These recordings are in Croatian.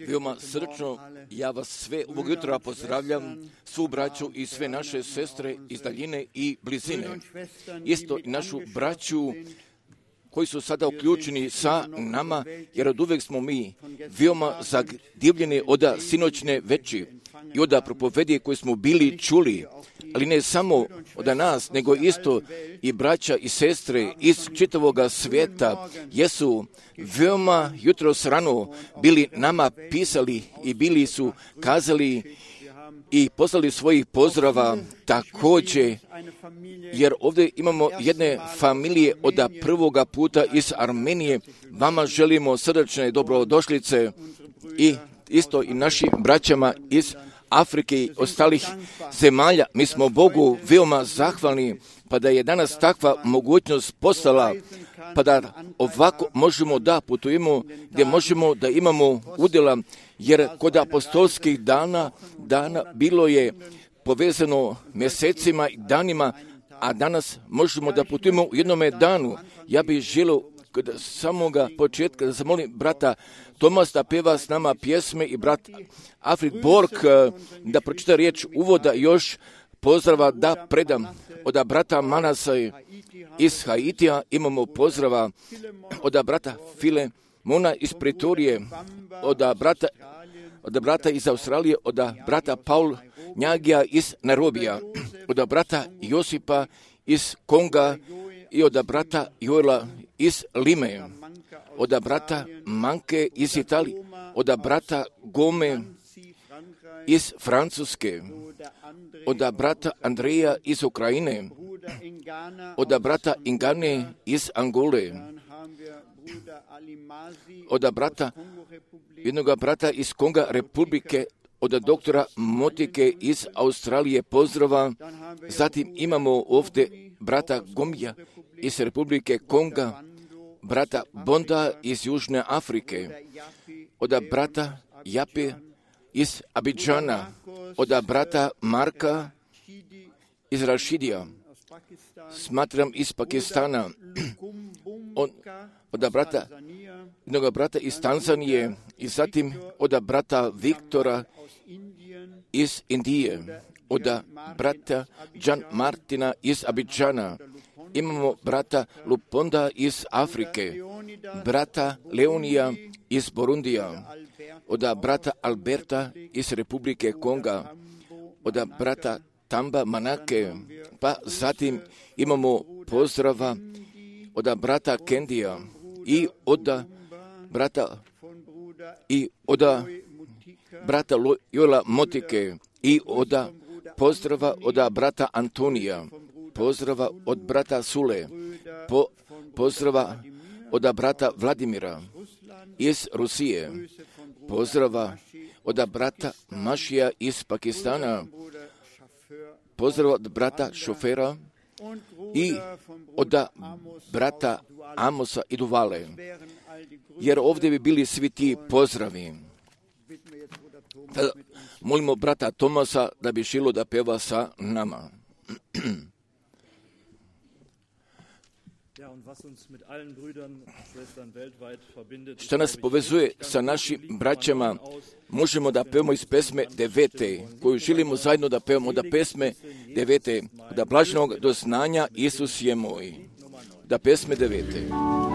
Veoma srčno ja vas sve ovog jutra pozdravljam, svu braću i sve naše sestre iz daljine i blizine. Isto i našu braću koji su sada uključeni sa nama, jer od uvek smo mi veoma zadivljeni od sinoćne veći i od propovedije koje smo bili čuli, ali ne samo od nas, nego isto i braća i sestre iz čitavog svijeta jesu veoma jutros rano bili nama pisali i bili su kazali i poslali svojih pozdrava također, jer ovdje imamo jedne familije od prvoga puta iz Armenije. Vama želimo srdečne dobrodošlice i isto i našim braćama iz Afrike i ostalih zemalja. Mi smo Bogu veoma zahvalni pa da je danas takva mogućnost postala, pa da ovako možemo da putujemo, gdje možemo da imamo udjela, jer kod apostolskih dana bilo je povezano mjesecima i danima, a danas možemo da putujemo u jednome danu. Ja bih želio od samoga početka da zamolim brata Tomas da peva s nama pjesme i brat Afrik Borg da pročita riječ uvoda, još pozdrava da predam od brata Manasa iz Haitija, imamo pozdrava od brata Filemona iz Pretorije, od brata iz Australije, od brata Paul Njagija iz Nairobija, od brata Josipa iz Konga i od brata Joela iz Lime, od brata Manke iz Italije, od brata Gome iz Francuske, od brata Andreja iz Ukrajine, od brata Ingane iz Angole, od brata jednog brata iz Konga Republike, od doktora Motike iz Australije pozdrava. Zatim imamo ovdje brata Gomija iz Republike Konga, brata Bonda iz Južne Afrike, od brata Jape iz Abidžana, od brata Marka iz Rašidija, smatram iz Pakistana, od brata jednog brata iz Tanzanije i zatim od brata Viktora iz Indije, od brata Jan Martina iz Abidžana, imamo brata Luponda iz Afrike, brata Leonija iz Burundija, od brata Alberta iz Republike Konga, od brata Tamba Manake, pa zatim imamo pozdrava od brata Kendija i od brata Joela Motike i od pozdrava od brata Antonija, pozdrava od brata Sule, pozdrava od brata Vladimira iz Rusije, pozdrava od brata Mašija iz Pakistana, pozdrava od brata Šofera i od brata Amosa i Duvale, jer ovdje bi bili svi ti pozdravi. Molimo brata Tomasa da bi šilo da peva sa nama. Što nas povezuje sa našim braćama, možemo da pevamo iz pesme 9. koju želimo zajedno da pevamo, da pesme 9. da blaženog doznanja Isus je moj, da pesme 9.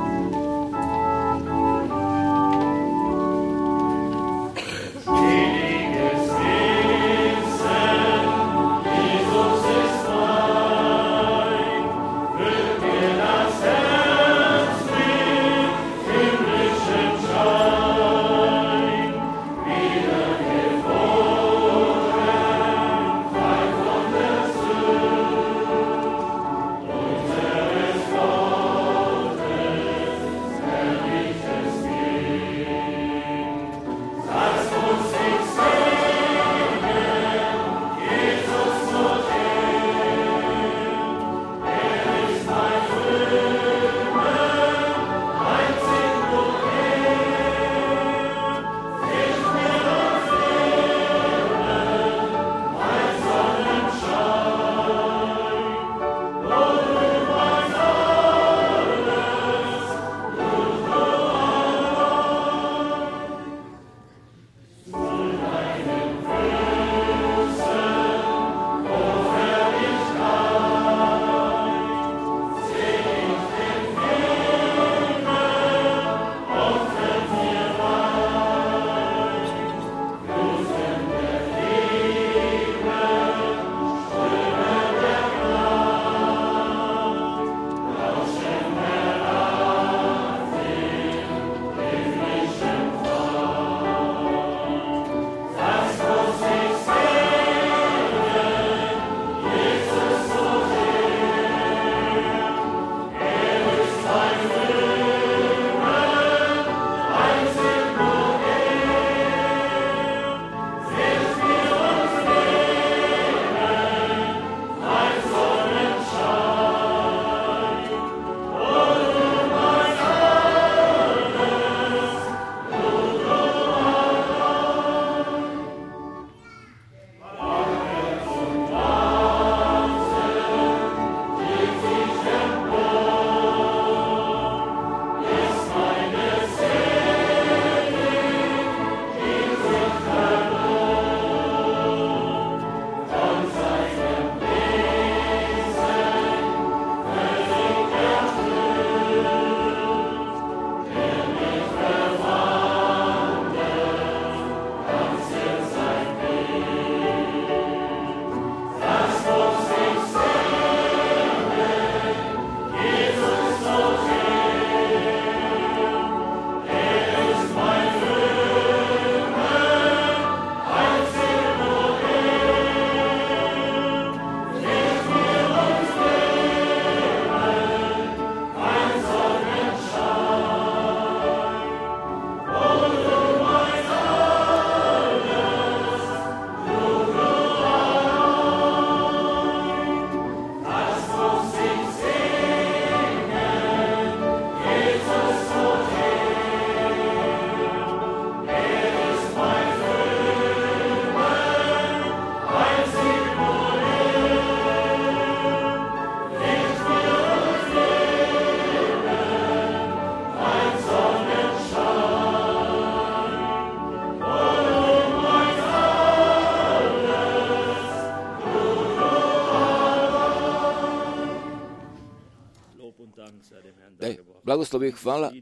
Blagoslov i hvala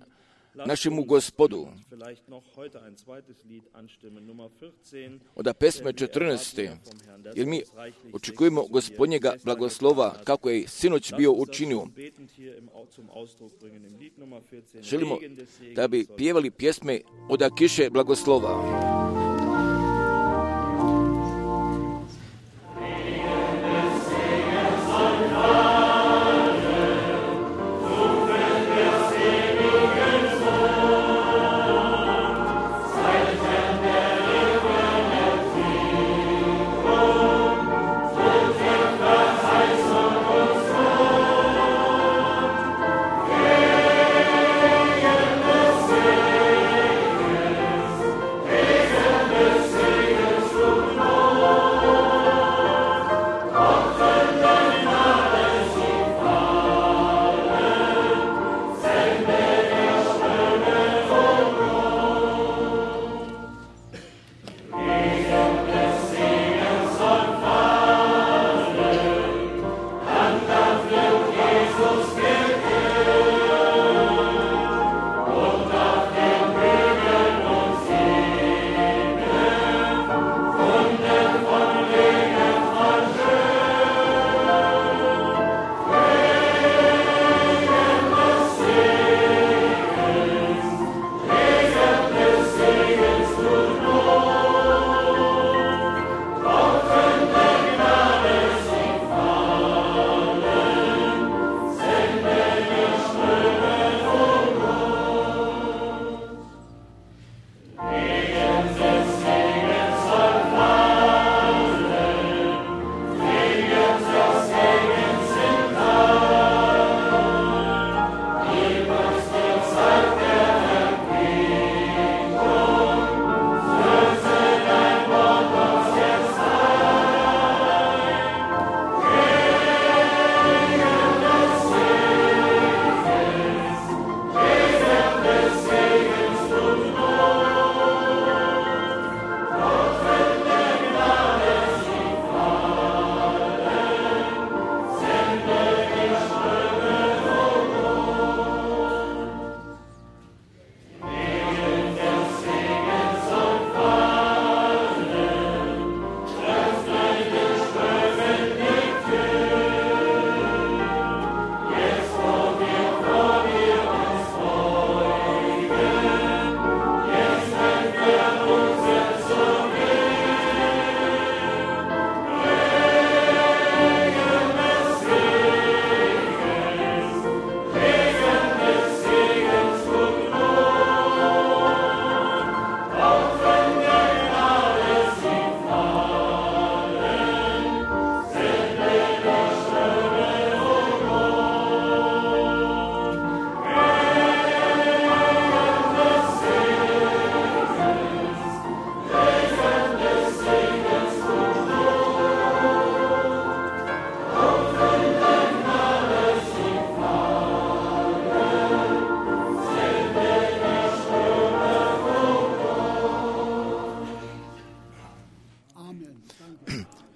našemu Gospodu. Od pesme 14. jer mi očekujemo Gospodnjega blagoslova kako je sinoć bio učinio. Želimo da bi pjevali pjesme od kiše blagoslova.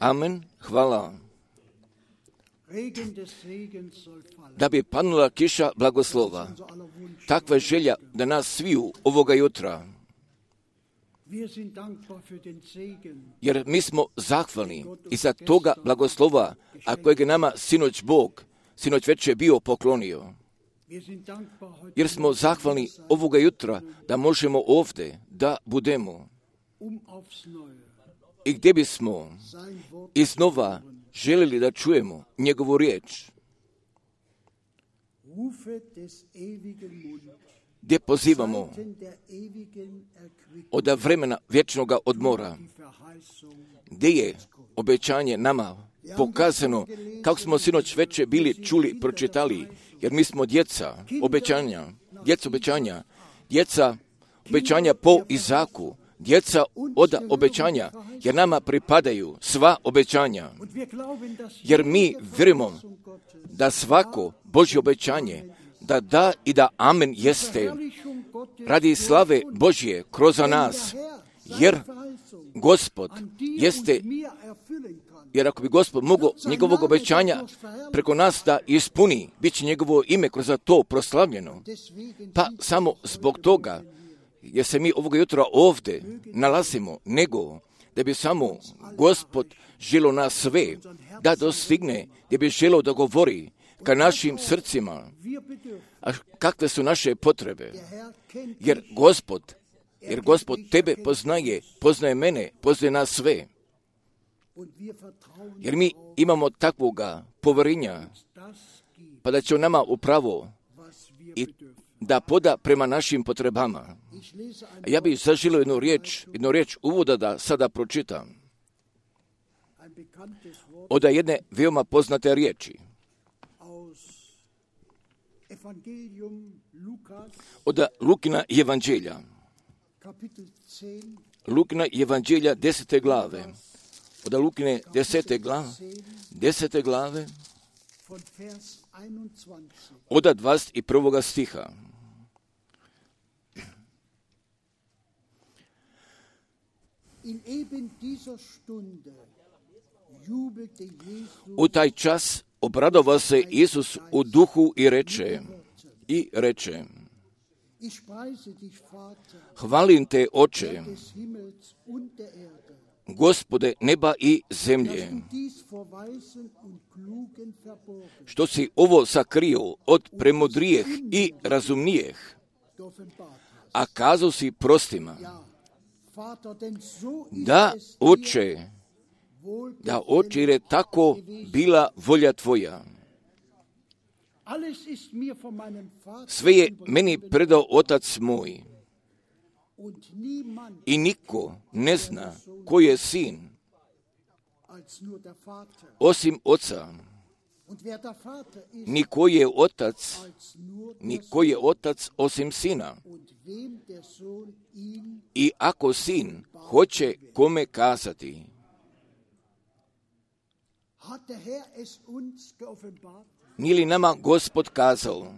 Amen, hvala. Da bi panula kiša blagoslova. Takva je želja da nas sviju ovoga jutra. Jer mi smo zahvalni i za toga blagoslova, a kojeg je nama sinoć Bog, sinoć večer bio poklonio. Jer smo zahvalni ovoga jutra da možemo ovdje da budemo. I gdje bismo iznova željeli da čujemo njegovu riječ. Gdje pozivamo od vremena vječnog odmora, gdje je obećanje nama pokazano, kako smo sinoć večer bili čuli, pročitali, jer mi smo djeca obećanja, djeca obećanja po Izaku, djeca od obećanja, jer nama pripadaju sva obećanja. Jer mi vjerujemo da svako Božje obećanje, da i da amen jeste radi slave Božje kroz nas, jer Gospod jeste Jer ako bi Gospod mogao njegovog obećanja preko nas da ispuni, bit će njegovo ime kroz to proslavljeno. Pa samo zbog toga, jer se mi ovoga jutra ovdje nalazimo, nego da bi samo Gospod želio nas sve da dostigne, da bi želio da govori ka našim srcima, a kakve su naše potrebe. Jer Gospod tebe poznaje mene, poznaje nas sve. Jer mi imamo takvoga poverenja, pa da će on nama upravo i da poda prema našim potrebama. A ja bih zaželio jednu riječ uvoda da sada pročitam. Od jedne veoma poznate riječi. Od Lukina evanđelja. Lukina evanđelja 10. glave. Od Lukine 10. glave od 21. stiha. U taj čas obradovao se Isus u duhu i reče, hvalim te, Oče, Gospode neba i zemlje, što si ovo sakrio od premudrijeh i razumnijeh, a kazao si prostima. Da, Oče, jer je tako bila volja tvoja. Sve je meni predao Otac moj. I niko ne zna ko je sin, osim Oca. Niko je otac osim Sina. I ako Sin hoće kome kazati. Nije li nama Gospod kazao?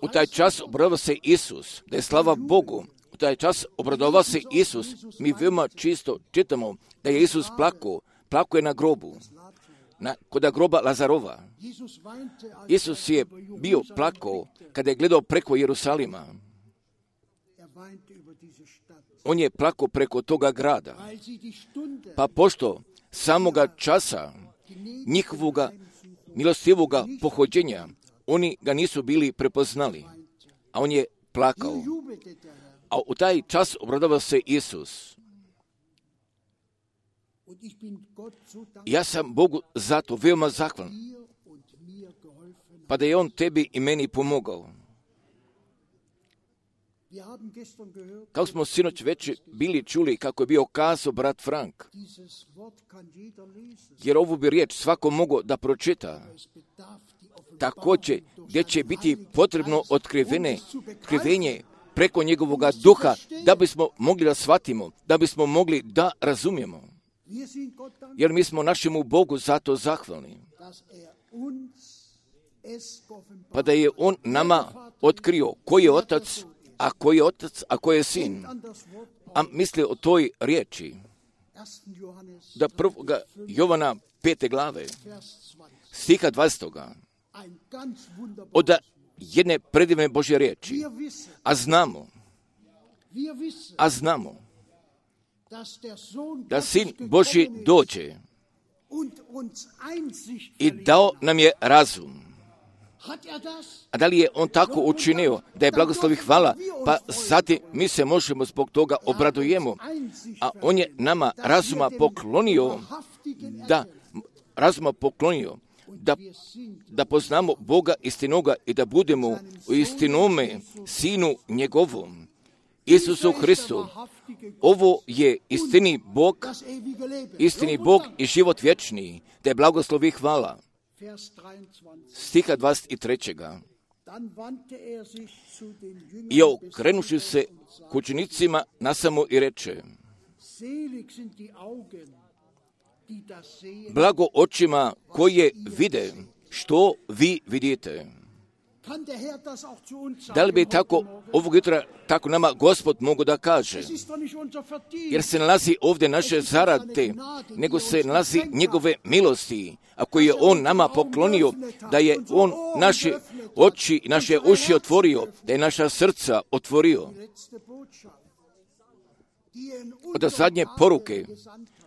U taj čas obradovao se Isus, da je slava Bogu. U taj čas obradovao se Isus. Mi veoma čisto čitamo da je Isus plakao je na grobu, kod groba Lazarova. Isus je bio plakao kada je gledao preko Jerusalima. On je plakao preko toga grada. Pa pošto samoga časa njihovoga milostivoga pohođenja, oni ga nisu bili prepoznali, a on je plakao. A u taj čas obradovao se Isus. Ja sam Bogu zato veoma zahvalan, pa da je on tebi i meni pomogao. Kao smo sinoć već bili čuli kako je bio kazao brat Frank, jer ovu bi riječ svako mogao da pročita. Također, gdje će biti potrebno otkrivenje preko njegovoga duha, da bismo mogli da shvatimo, da bismo mogli da razumijemo. Jer mi smo našemu Bogu zato zahvalni. Pa da je on nama otkrio ko je otac, a ko je sin. A misli o toj riječi. Da 1. Jovana 5. glave, stiha 20. Od jedne predivne Božje riječi. A znamo da Sin Božji dođe i dao nam je razum. A da li je on tako učinio da je blagoslovi hvala, pa zatim mi se možemo zbog toga obradujemo. A on je nama razuma poklonio, da poznamo Boga istinoga i da budemo u istinome Sinu njegovom, Isusu Hristu. Ovo je istini Bog i život vječni, da je blagoslovi hvala. Stiha 23. I okrenuši se k učenicima nasamo i reče, blago očima koje vide što vi vidite. Da li bi tako ovog jutra tako nama Gospod mogu da kaže? Jer se nalazi ovdje naše zarade, nego se nalazi njegove milosti, a koje je On nama poklonio, da je On naše oči i naše uši otvorio, da je naša srca otvorio. Od zadnje poruke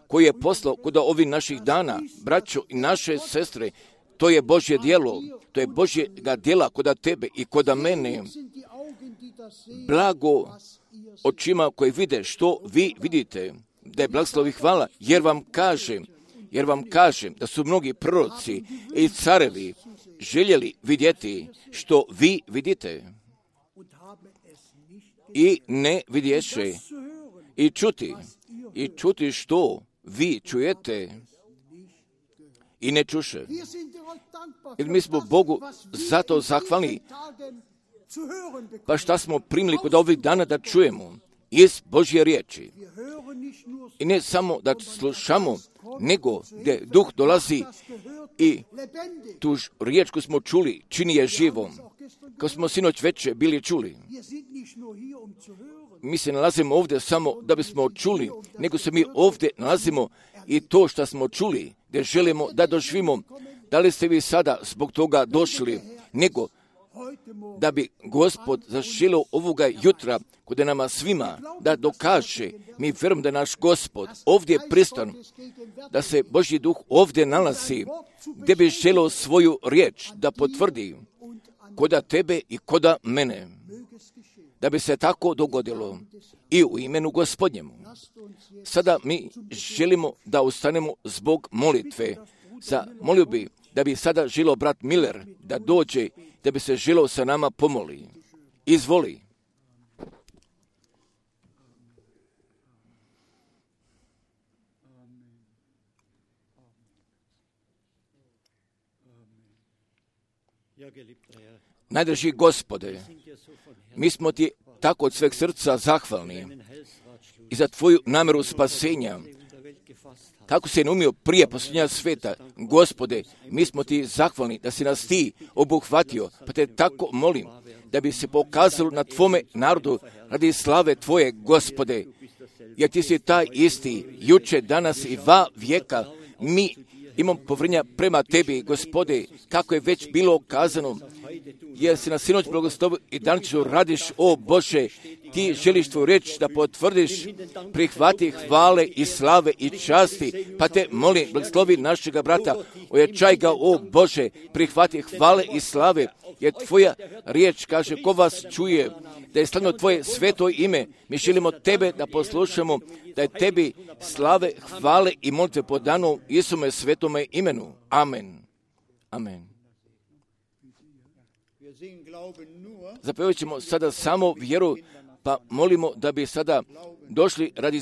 koje je poslao kod ovih naših dana, braćo i naše sestre, to je Božje djelo, to je Božjega djela kod tebe i kod mene. Blago očima koji vide što vi vidite, da je blagoslovi hvala, jer vam kažem da su mnogi proroci i carevi željeli vidjeti što vi vidite i ne vidješe, i čuti što vi čujete i ne čuše. Jer mi smo Bogu zato zahvalni, pa šta smo primili kod ovih dana da čujemo iz Božje riječi. I ne samo da slušamo, nego gdje Duh dolazi i tu riječ koju smo čuli čini je živom. Kao smo sinoć večer bili čuli. Mi se nalazimo ovdje samo da bismo čuli, nego se mi ovdje nalazimo i to što smo čuli, gdje želimo da doživimo. Da li ste vi sada zbog toga došli, nego da bi Gospod zaželio ovoga jutra kod nama svima da dokaže, mi vjerujem da naš Gospod ovdje pristan, da se Božji duh ovdje nalazi, gdje bi želio svoju riječ da potvrdi koda tebe i koda mene, da bi se tako dogodilo i u imenu Gospodnjemu. Sada mi želimo da ustanemo zbog molitve. Molio bi da bi sada želio brat Miller da dođe, da bi se želio sa nama pomoli. Izvoli. Najdraži Gospode, mi smo ti tako od sveg srca zahvalni i za tvoju namjeru spasenja. Kako se je umio prije posljednja sveta, Gospode, mi smo ti zahvalni da si nas ti obuhvatio, pa te tako molim da bi se pokazalo na tvome narodu radi slave tvoje, Gospode, jer ti si taj isti, juče, danas i va vijeka. Mi imamo povjerenja prema tebi, Gospode, kako je već bilo kazano, jer si na sinoć blagoslovio i danas radiš, o Bože, ti želiš tvoju riječ da potvrdiš, prihvati hvale i slave i časti, pa te molim, blagoslovi našega brata, ojačaj ga, o Bože, prihvati hvale i slave, jer tvoja riječ kaže, ko vas čuje, da je slavno tvoje sveto ime, mi želimo tebe da poslušamo, da je tebi slave, hvale i molitve po danu Isume svetome imenu. Amen. Amen. Zapevat ćemo sada samo vjeru, pa molimo da bi sada došli radi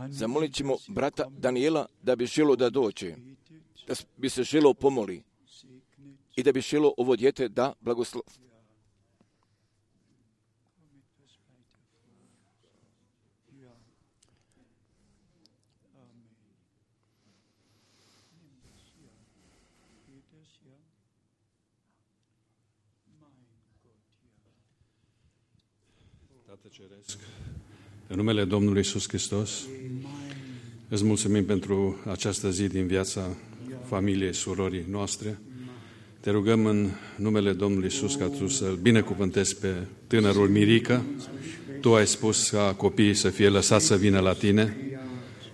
Zamolit ćemo brata Daniela da bi želio da dođe, da bi se želio pomoli i da bi želio ovo dijete da blagoslovi. Tată Ceresc, în numele Domnului Iisus Hristos, îți mulțumim pentru această zi din viața familiei, surorii noastre. Te rugăm în numele Domnului Iisus ca Tu să-L binecuvântezi pe tânărul Mirica. Tu ai spus ca copiii să fie lăsați să vină la Tine.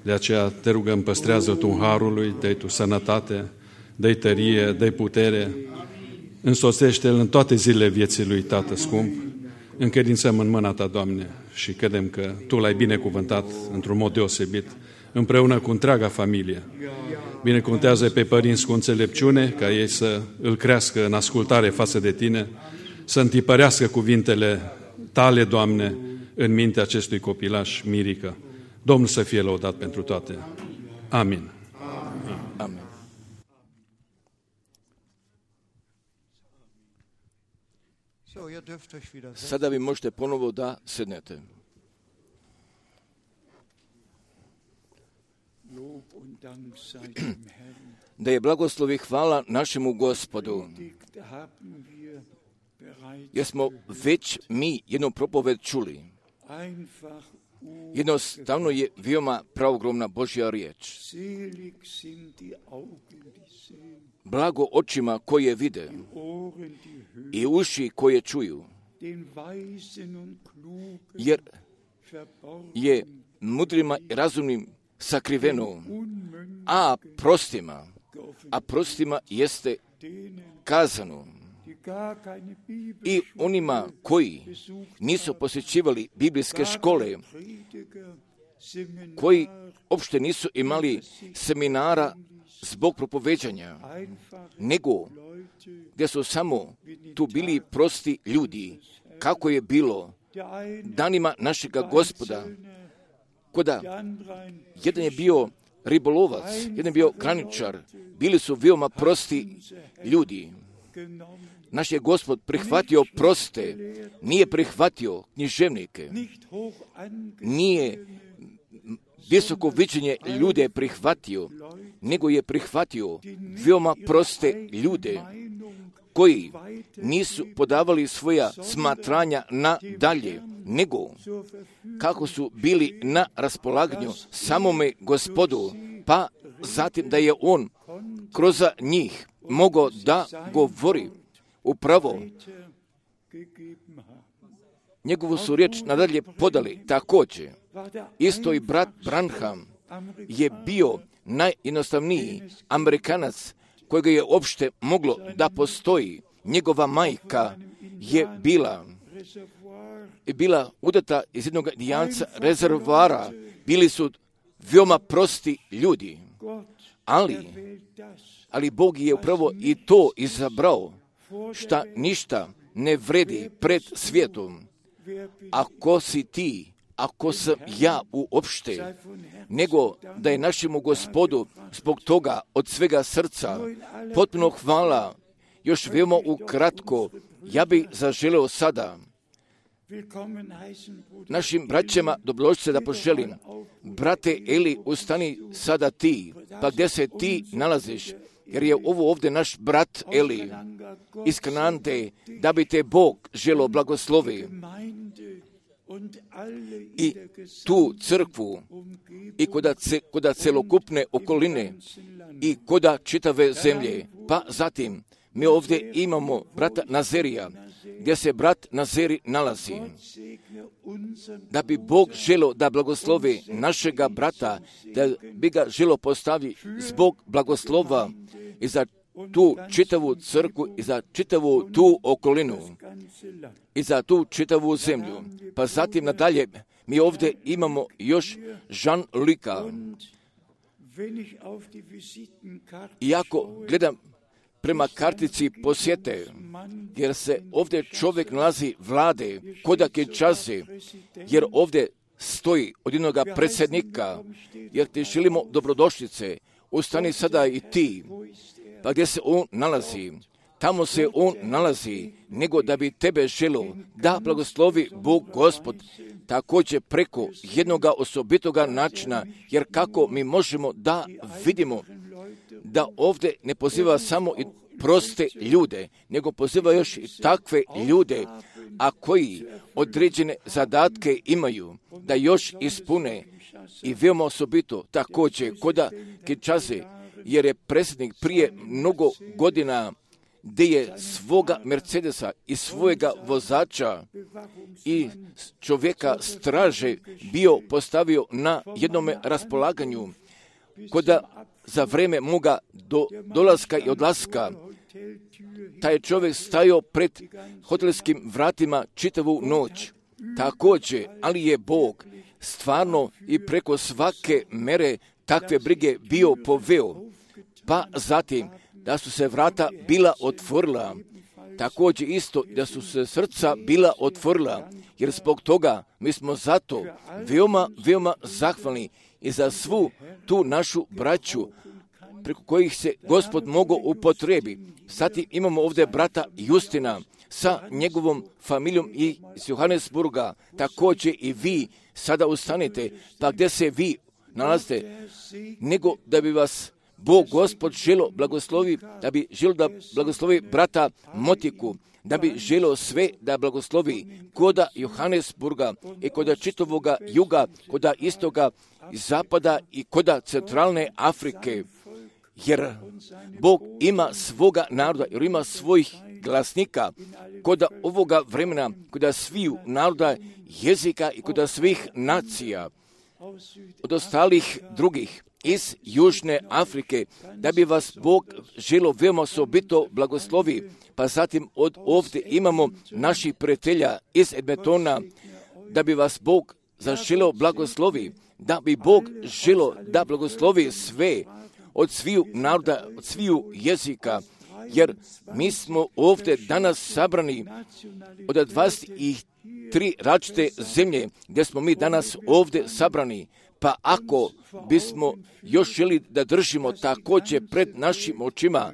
De aceea te rugăm, păstrează Tu harul lui, dă-i Tu sănătate, dă-i tărie, dă-i putere. Însoțește-L în toate zilele vieții lui, Tată scump. Încredințăm în mâna Ta, Doamne, și credem că Tu L-ai binecuvântat într-un mod deosebit, împreună cu întreaga familie. Binecuvântează pe părinți cu înțelepciune, ca ei să îl crească în ascultare față de Tine, să întipărească cuvintele Tale, Doamne, în mintea acestui copilaș Mirica. Domnul să fie lăudat pentru toate. Amin. Amin. Sada vi možete ponovo da sednete. Da je blagoslov i hvala našemu Gospodu, jer smo već mi jednu propoved čuli. Jednostavno je veoma pravogromna Božja riječ. Blago očima koje vide i uši koje čuju, jer je mudrima i razumnim sakriveno, a prostima jeste kazano. I onima koji nisu posjećivali biblijske škole, koji uopšte nisu imali seminara zbog propoveđanja, nego gdje su samo tu bili prosti ljudi, kako je bilo danima našega Gospoda, koda jedan je bio ribolovac, jedan je bio graničar, bili su veoma prosti ljudi. Naš je Gospod prihvatio proste, nije prihvatio književnike, nije visoko viđenje ljude prihvatio, nego je prihvatio veoma proste ljude koji nisu podavali svoja smatranja na dalje, nego kako su bili na raspolaganju samome Gospodu, pa zatim da je On kroz njih mogao da govori upravo. Njegovu su riječ nadalje podali. Također, isto i brat Branham je bio najjednostavniji Amerikanac kojega je uopšte moglo da postoji. Njegova majka je bila udata iz jednog Indijanca rezervoara. Bili su veoma prosti ljudi. Ali Bog je upravo i to izabrao, šta ništa ne vredi pred svijetom. Ako si ti, ako sam ja uopšte, nego da je našemu Gospodu zbog toga od svega srca potpuno hvala. Još veoma ukratko, ja bih zaželeo sada našim braćama dobrodošlice da poželim. Brate Eli, ustani sada ti, pa gdje se ti nalaziš, jer je ovo ovdje naš brat Eli iz Kanante, da bi te Bog želeo blagoslovi i tu crkvu i koda celokupne okoline i koda čitave zemlje. Pa zatim mi ovdje imamo brata Nazerija, gdje se brat Nazeri nalazi. Da bi Bog želeo da blagoslovi našega brata, da bi ga želeo postaviti zbog blagoslova i za tu čitavu crkvu i za čitavu tu okolinu i za tu čitavu zemlju. Pa zatim nadalje mi ovdje imamo još Jean-Luca. Iako gledam prema kartici posjete, jer se ovdje čovjek nalazi vlade, kodak je čaze, jer ovdje stoji od jednog predsjednika, jer ti želimo dobrodošlice, ustani sada i ti, pa gdje se on nalazi, tamo se on nalazi, nego da bi tebe želio da blagoslovi Bog Gospod, također preko jednoga osobitoga načina, jer kako mi možemo da vidimo da ovdje ne poziva samo i proste ljude, nego poziva još i takve ljude a koji određene zadatke imaju da još ispune i veoma osobito također koda Kinshase, jer je predsjednik prije mnogo godina gdje je svoga Mercedesa i svojega vozača i čovjeka straže bio postavio na jednome raspolaganju koda za vrijeme moga dolaska i odlaska taj čovjek stajao pred hotelskim vratima čitavu noć. Također, ali je Bog stvarno i preko svake mere takve brige bio poveo. Pa zatim da su se vrata bila otvorila, također isto da su se srca bila otvorila, jer zbog toga mi smo zato veoma zahvalni i za svu tu našu braću preko kojih se Gospod mogao upotrebi. Zatim imamo ovdje brata Justina sa njegovom familijom iz Johannesburga. Također i vi sada ustanite, pa gdje se vi nalazite, nego da bi vas Bog Gospod želo blagoslovi, da bi želo da blagoslovi brata Motiku, da bi želo sve da blagoslovi koda Johannesburga i koda čitovoga juga, koda istoga i zapada i koda centralne Afrike. Jer Bog ima svoga naroda, jer ima svojih glasnika koda ovoga vremena, koda sviju naroda, jezika i koda svih nacija od ostalih drugih iz Južne Afrike, da bi vas Bog želo veoma osobito blagoslovi. Pa zatim od ovdje imamo naših prijatelja iz Edmontona, da bi vas Bog zaželeo blagoslovi, da bi Bog želo da blagoslovi sve od sviju naroda, od sviju jezika, jer mi smo ovdje danas sabrani od 23 različite zemlje gdje smo mi danas ovdje sabrani. Pa ako bismo još želi da držimo također pred našim očima,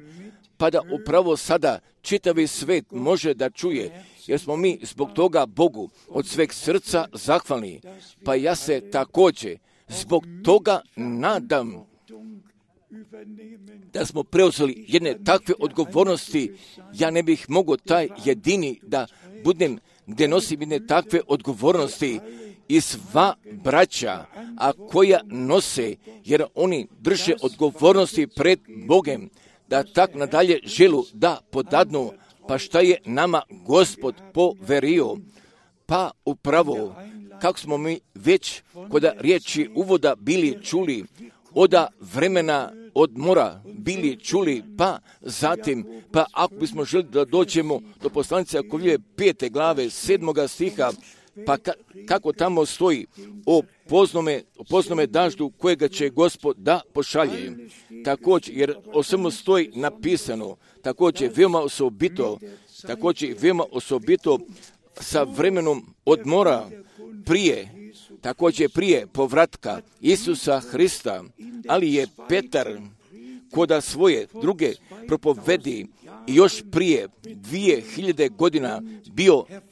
pa da upravo sada čitavi svet može da čuje, jer smo mi zbog toga Bogu od sveg srca zahvalni. Pa ja se također zbog toga nadam da smo preuzeli jedne takve odgovornosti. Ja ne bih mogao taj jedini da budem gdje nosim jedne takve odgovornosti i sva braća, a koja nose, jer oni drže odgovornosti pred Bogem, da tak nadalje želu da podadnu, pa šta je nama Gospod poverio. Pa upravo, kako smo mi već kod riječi uvoda bili čuli, oda vremena odmora bili čuli, pa zatim, pa ako bismo želi da dođemo do poslanice Jakovljeve 5. glave 7. stiha, pa kako tamo stoji o poznome daždu kojega će Gospod da pošalje. Također, jer o svemu stoji napisano, također veoma osobito sa vremenom odmora prije povratka Isusa Hrista, ali je Petar koda svoje druge propovedi i još prije 2000 godina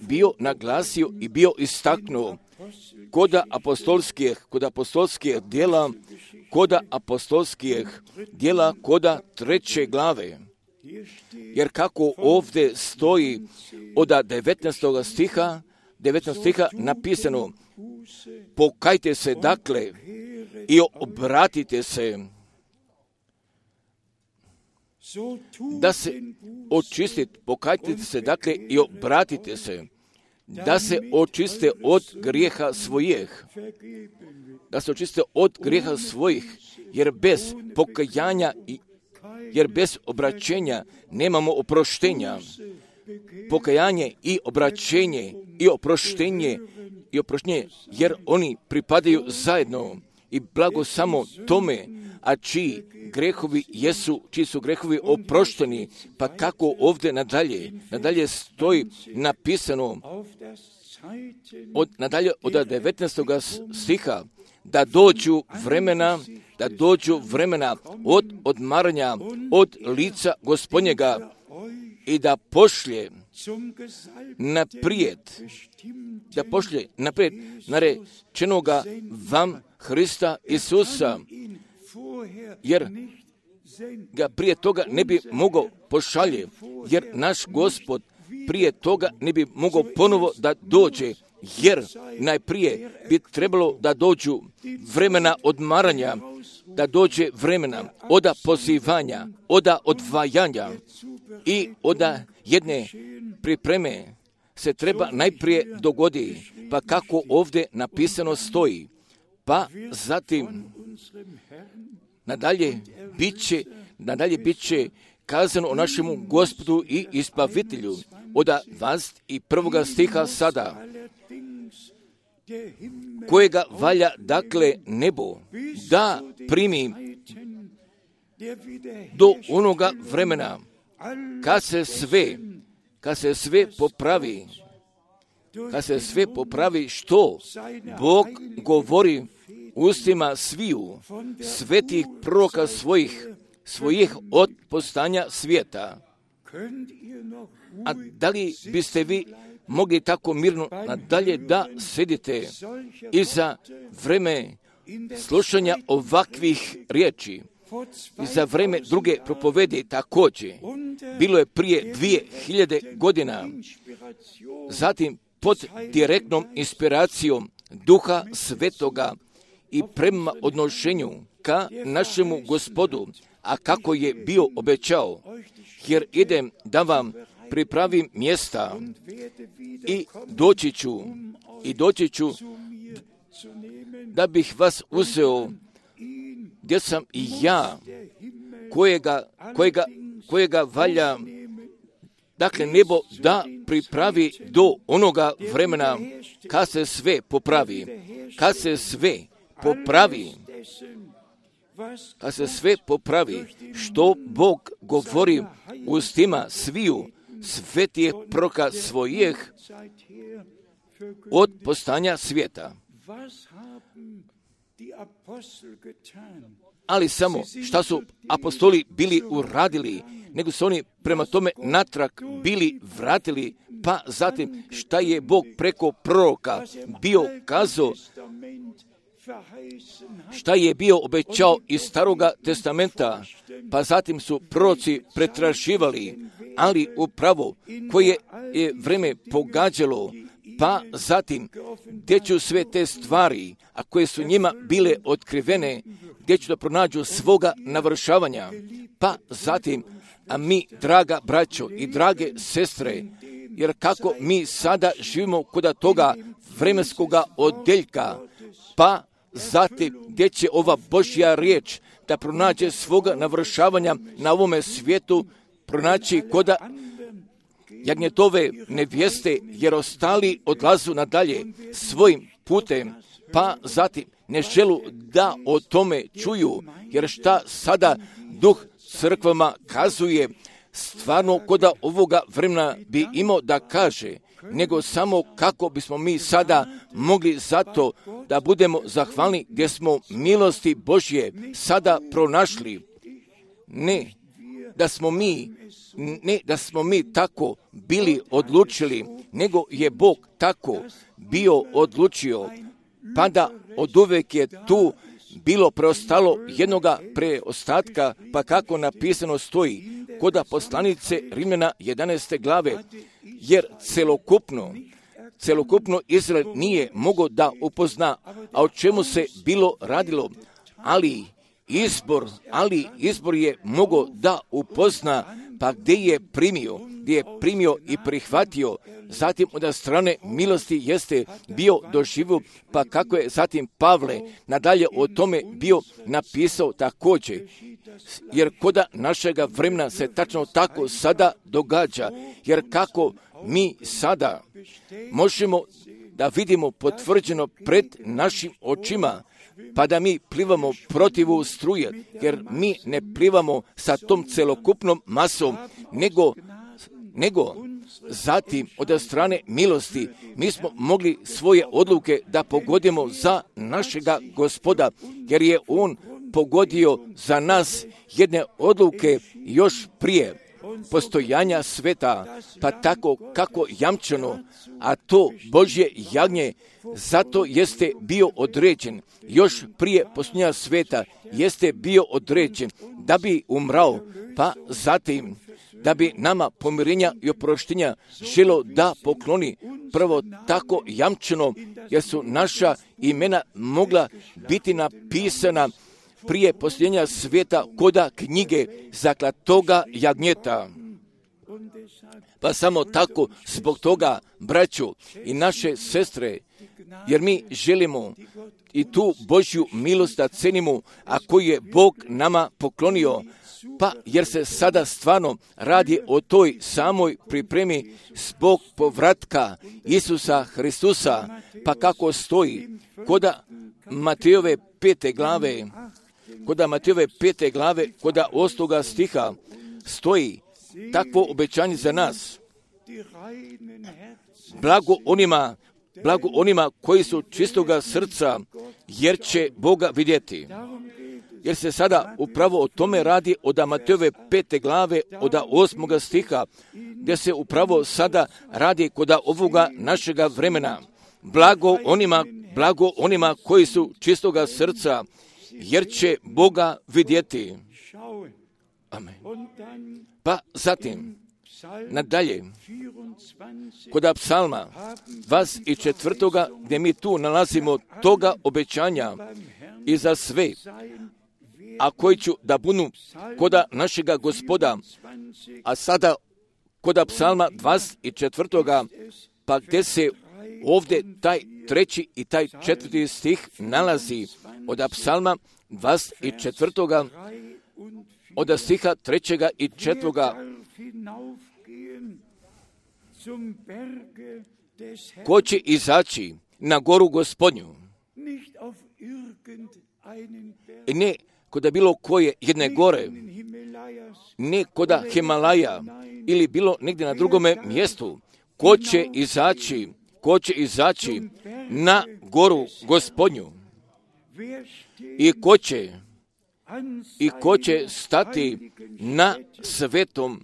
bio naglasio i bio istaknuo kod apostolskih djela koda 3. glave. Jer kako ovdje stoji od 19. stiha napisano, pokajte se dakle i obratite se, da se očistite, pokajte se dakle i obratite se, da se očiste od grijeha svojih, jer bez pokajanja jer bez obraćenja nemamo oproštenja. Pokajanje i obraćenje i oproštenje, jer oni pripadaju zajedno i blago samo tome, a čiji su grehovi oprošteni. Pa kako ovdje nadalje stoji napisano nadalje od 19. stiha, da dođu vremena od odmaranja od lica Gospodnjega i da pošlje naprijed narečenoga vam Hrista Isusa, jer ga prije toga ne bi mogao pošalje, jer naš Gospod prije toga ne bi mogao ponovo da dođe, jer najprije bi trebalo da dođu vremena odmaranja, da dođe vremena oda pozivanja, oda odvajanja i oda jedne pripreme se treba najprije dogodi, pa kako ovdje napisano stoji, pa zatim nadalje bit će kazano o našemu Gospodu i Izbavitelju od 21. stiha sada, kojega valja dakle nebo da primi do onoga vremena kad se sve popravi što Bog govori ustima sviju svetih proroka svojih od postanja svijeta. A da li biste vi mogli tako mirno nadalje da sedite i za vreme slušanja ovakvih riječi i za vreme druge propovedi također? Bilo je prije 2000 godina, zatim pod direktnom inspiracijom Duha Svetoga i prema odnošenju ka našemu Gospodu, a kako je bio obećao, jer idem da vam pripravim mjesta i doći ću da bih vas uzeo gdje sam i ja, kojega valja dakle nebo da pripravi do onoga vremena kad se sve popravi, što Bog govori ustima sviju svetih proroka svojih od postanja svijeta. Ali samo šta su apostoli bili uradili, nego su oni prema tome natrag bili vratili, pa zatim šta je Bog preko proroka bio kazao, šta je bio obećao iz Staroga testamenta, pa zatim su proroci pretraživali, ali upravo koje je vreme pogađalo, pa zatim gdje ću sve te stvari, a koje su njima bile otkrivene, gdje ću da pronađu svoga navršavanja, pa zatim, a mi, draga braćo i drage sestre, jer kako mi sada živimo kod toga vremenskoga odjeljka, pa zatim gdje će ova Božja riječ da pronađe svoga navršavanja na ovome svijetu, pronaći koda jagnjetove nevjeste, jer ostali odlazu nadalje svojim putem, pa zatim ne želu da o tome čuju, jer šta sada Duh crkvama kazuje, stvarno koda ovoga vremena bi imao da kaže, nego samo kako bismo mi sada mogli zato da budemo zahvalni gdje smo milosti Božje sada pronašli. Ne da smo mi tako bili odlučili, nego je Bog tako bio odlučio, pa da oduvek je tu bilo preostalo jednoga preostatka, pa kako napisano stoji koda poslanice Rimljana 11. glave, jer celokupno Izrael nije mogao da upozna, a o čemu se bilo radilo, ali izbor je mogao da upozna, pa gdje je primio i prihvatio, zatim od strane milosti jeste bio doživio, pa kako je zatim Pavle nadalje o tome bio napisao također, jer koda našega vremena se tačno tako sada događa, jer kako mi sada možemo da vidimo potvrđeno pred našim očima, pa da mi plivamo protiv struje, jer mi ne plivamo sa tom celokupnom masom, nego zatim od strane milosti mi smo mogli svoje odluke da pogodimo za našega Gospoda, jer je On pogodio za nas jedne odluke još prije postojanja sveta, pa tako kako jamčeno, a to Božje jagnje zato jeste bio određen, još prije postojanja sveta jeste bio određen da bi umrao, pa zatim da bi nama pomirenja i oproštenja želo da pokloni prvo tako jamčeno, jer su naša imena mogla biti napisana prije posljednja svijeta koda knjige zaklatoga jagnjeta. Pa samo tako, zbog toga, braćo i naše sestre, jer mi želimo i tu Božju milost da cenimo, a koju je Bog nama poklonio, pa jer se sada stvarno radi o toj samoj pripremi zbog povratka Isusa Hristusa, pa kako stoji koda Matejove 5. glave, koda 8. stiha stoji takvo obećanje za nas. Blago onima koji su čistoga srca, jer će Boga vidjeti. Jer se sada upravo o tome radi od Matejove 5. glave, od 8. stiha, gdje se upravo sada radi kod ovoga našega vremena. Blago onima koji su čistoga srca, jer će Boga vidjeti. Amen. Pa zatim, nadalje, kod psalma 24. gdje mi tu nalazimo toga obećanja i za sve, a koji ću da budu koda našega Gospoda, a sada koda psalma 24. pa gdje se ovdje taj 3. i taj 4. stih nalazi od psalma 24. od stiha 3. i 4. Ko će izaći na goru Gospodnju? Ne koda bilo koje jedne gore, ne koda Himalaja ili bilo negdje na drugome mjestu. Ko će izaći na goru Gospodnju? I ko će stati na svetom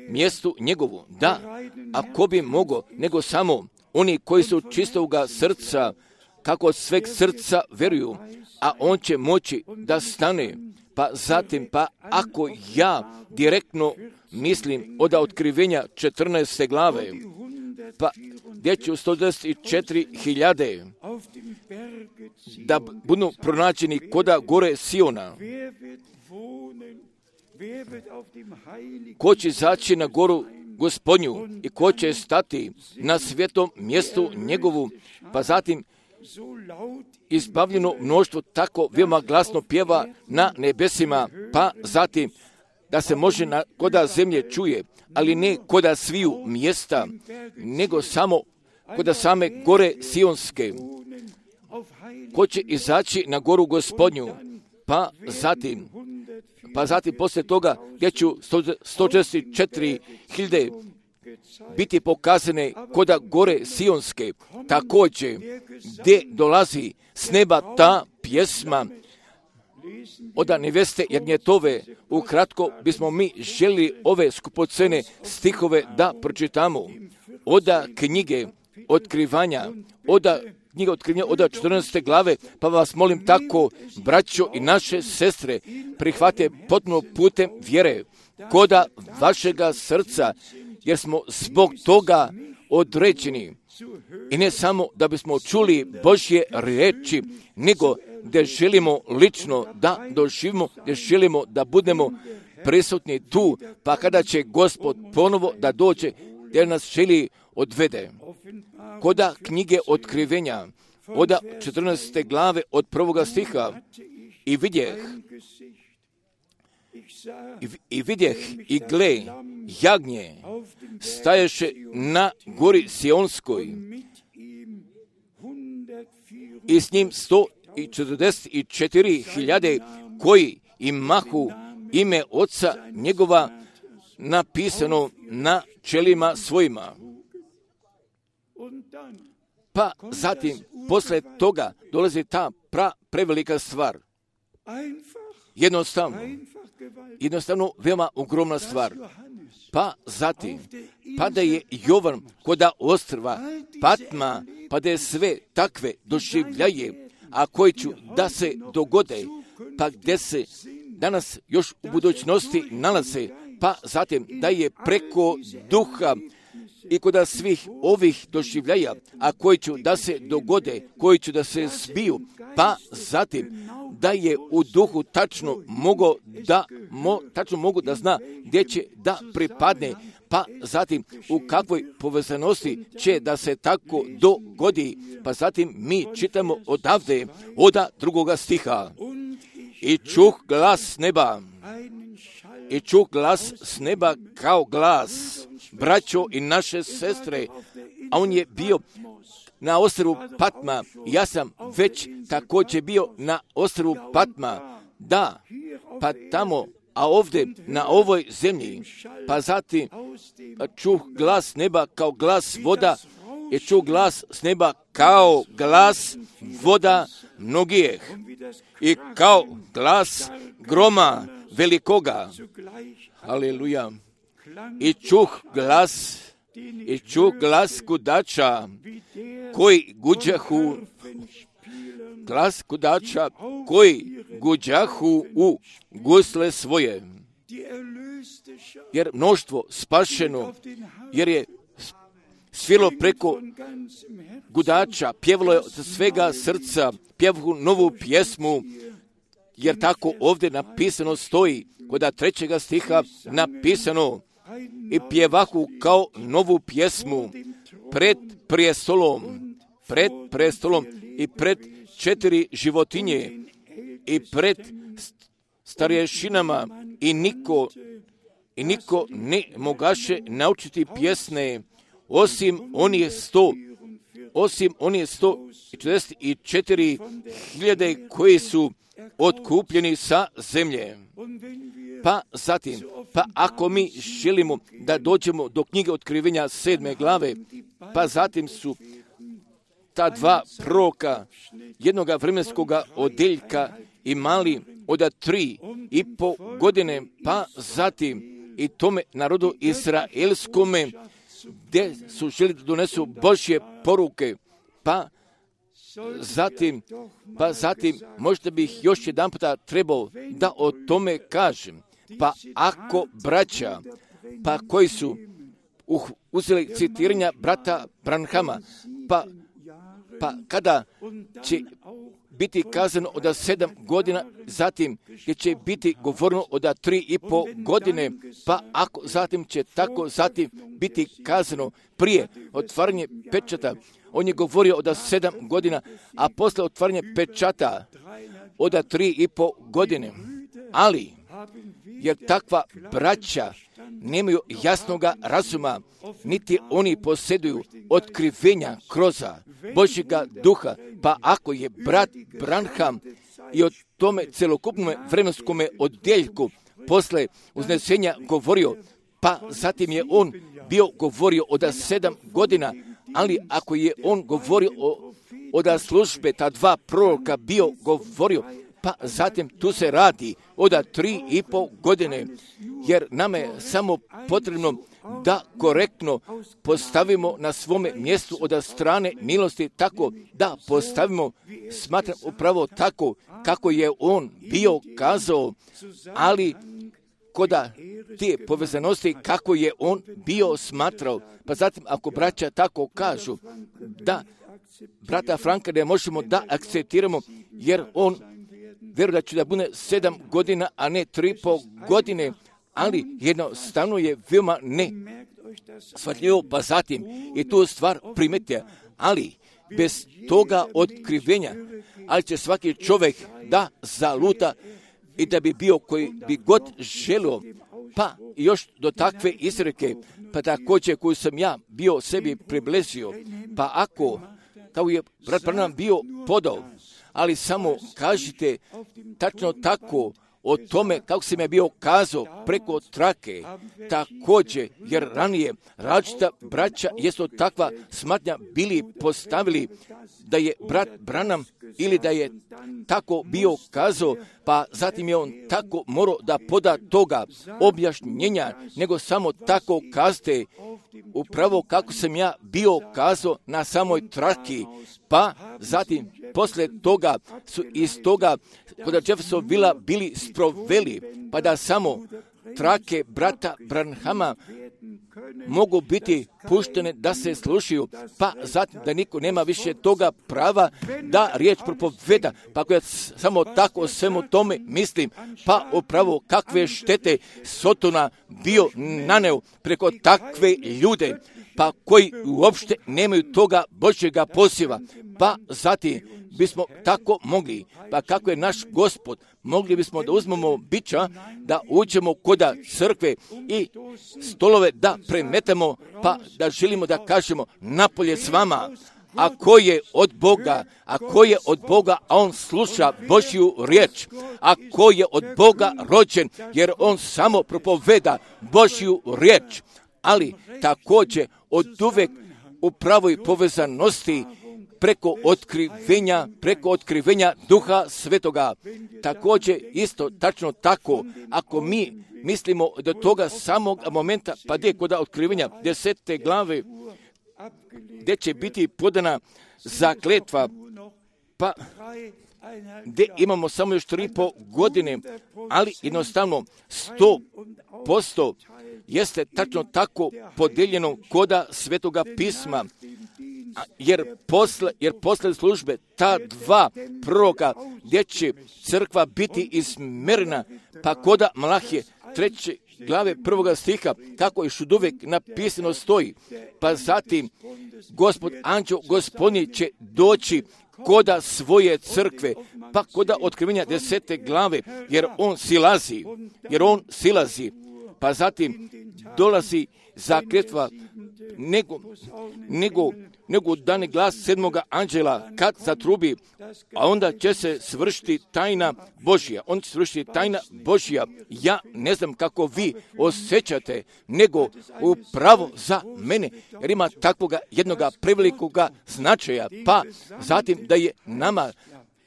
mjestu njegovu? Da, a ko bi mogao, nego samo oni koji su čistoga srca, kako od sveg srca vjeruju, a on će moći da stane. Pa zatim, ako ja direktno mislim od otkrivenja 14. glave, pa gdje će 124.000 da budu pronađeni koda gore Siona. Ko će izaći na goru Gospodnju i ko će stati na svetom mjestu njegovu, pa zatim izbavljeno mnoštvo tako veoma glasno pjeva na nebesima, pa zatim da se može koda zemlje čuje, ali ne koda sviju mjesta, nego samo koda same gore Sionske. Ko će izaći na goru Gospodnju, pa zatim poslije toga gdje ću 164.000 biti pokazane koda gore Sionske, također gdje dolazi s neba ta pjesma od neveste jagnjetove. Ukratko bismo mi želi ove skupocene stihove da pročitamo od knjige otkrivanja, od 14. glave, pa vas molim tako, braćo i naše sestre, prihvate potpuno putem vjere koda vašega srca, jer smo zbog toga određeni. I ne samo da bismo čuli Božje riječi, nego da želimo lično da doživimo, da želimo da budemo prisutni tu, pa kada će Gospod ponovo da dođe, da nas želi odvede. Koda knjige otkrivenja, od 14. glave, od 1. stiha, i vidjeh i gle, jagnje staješe na gori Sionskoj i s njim 144.000 koji imahu ime Oca njegova napisano na čelima svojima. Pa zatim, posle toga dolazi ta prevelika stvar. Jednostavno veoma ogromna stvar. Pa zatim, pa da je Jovan koda ostrva Patma, pa da je sve takve doživljaje, a koji ću da se dogode, pa gdje se danas još u budućnosti nalaze, pa zatim da je preko duha i kod svih ovih doživljaja, a koji će da se dogode, koji će da se zbiju, pa zatim da je u duhu tačno mogu da zna gdje će da pripadne, pa zatim u kakvoj povezanosti će da se tako dogodi, pa zatim mi čitamo odavde, od 2. stiha. I čuh glas s neba kao glas, braćo i naše sestre, a on je bio na ostrvu Patma. Ja sam već također bio na ostrvu Patma, da, pa tamo, a ovdje na ovoj zemlji, pa zatim čuh glas neba kao glas voda i čuh glas s neba kao glas voda mnogih i kao glas groma velikoga. Aleluja. I čuh glas kudača koji guđahu u gusle svoje. Jer mnoštvo spašeno, jer je svilo preko gudača, pjevalo je od svega srca, pjevu novu pjesmu, jer tako ovdje napisano stoji, kod 3. stiha napisano, i pjevahu kao novu pjesmu pred prestolom i pred 4 životinje i pred starješinama i niko ne mogaše naučiti pjesne osim onih 144.000 koji su otkupljeni sa zemlje. Pa zatim, ako mi želimo da dođemo do knjige Otkrivenja 7. glave, pa zatim su ta 2 proroka jednog vremenskog odeljka imali od 3,5 godine, pa zatim i tome narodu izraelskome, gdje su želi da donesu Božje poruke, pa zatim možda bih još jedan puta trebao da o tome kažem. Pa ako braća, pa koji su uzeli citiranja brata Branhama, pa kada će biti kazano od 7 godina, zatim će biti govoreno od 3,5 godine, pa ako zatim će tako zatim biti kazano prije otvaranje pečata, on je govorio od 7 godina, a posle otvaranja pečata od 3,5 godine. Ali, jer takva braća nemaju jasnoga razuma, niti oni posjeduju otkrivenja kroz Božjega duha, pa ako je brat Branham i o tome celokupnom vremenskom odjeljku posle uznesenja govorio, pa zatim je on bio govorio od 7 godina, ali ako je on govorio od službe, ta 2 proroka bio govorio, pa zatim tu se radi od 3,5 godine, jer nama je samo potrebno da korektno postavimo na svome mjestu od strane milosti, tako da postavimo, smatram upravo tako kako je on bio kazao, ali kod te povezanosti kako je on bio smatrao. Pa zatim ako braća tako kažu da brata Franka ne možemo da akceptiramo, jer on vjeruje da će da bude 7 godina, a ne 3,5 godine, ali jednostavno je veoma ne shvatljivo, pa zatim i tu stvar primetite, ali bez toga otkrivenja, ali će svaki čovjek da zaluta i da bi bio koji bi god želio, pa još do takve izreke, pa također koju sam ja bio sebi približio, pa ako, kao je brat Branham bio podao, ali samo kažite tačno tako o tome kako sam ja bio kazao preko trake, također, jer ranije različita braća jesu takva smatnja bili postavili da je brat Branham ili da je tako bio kazao, pa zatim je on tako morao da poda toga objašnjenja, nego samo tako kazate upravo kako sam ja bio kazao na samoj traki, pa zatim poslije toga su iz toga kod Jeffersonvilla bili sproveli, pa da samo trake brata Branhama mogu biti puštene da se slušaju, pa zatim da niko nema više toga prava da riječ propoveda. Pa ako ja samo tako o svemu tome mislim, pa upravo kakve štete Sotona bio naneo preko takve ljude, pa koji uopšte nemaju toga Božjega poziva. Pa zatim bismo tako mogli, pa kako je naš Gospod, mogli bismo da uzmemo bića, da uđemo koda crkve i stolove da premetemo, pa da želimo da kažemo napolje s vama. Ako je od Boga, a on sluša Božju riječ, ako je od Boga rođen, jer on samo propoveda Božju riječ, ali također od uvek u pravoj povezanosti preko otkrivenja Duha Svetoga. Također isto tačno tako, ako mi mislimo do toga samog momenta, pa gdje kod otkrivenja 10. glave, gdje će biti podana zakletva, pa gdje imamo samo još 3,5 godine, ali jednostavno 100% jeste tačno tako podeljeno koda Svetoga pisma, jer posle službe ta dva proroka gdje će crkva biti izmerena, pa koda Malahije 3. glave 1. stiha, kako još uvijek napisano stoji, pa zatim Gospod anđeo gospodnji će doći koda svoje crkve, pa koda otkrivenja 10. glave, jer on silazi, pa zatim dolazi zakletva, nego dane glas 7. anđela kad zatrubi, a onda će se svršiti tajna Božja. Ja ne znam kako vi osjećate, nego upravo za mene, jer ima takvoga jednoga prevelikoga značaja, pa zatim da je nama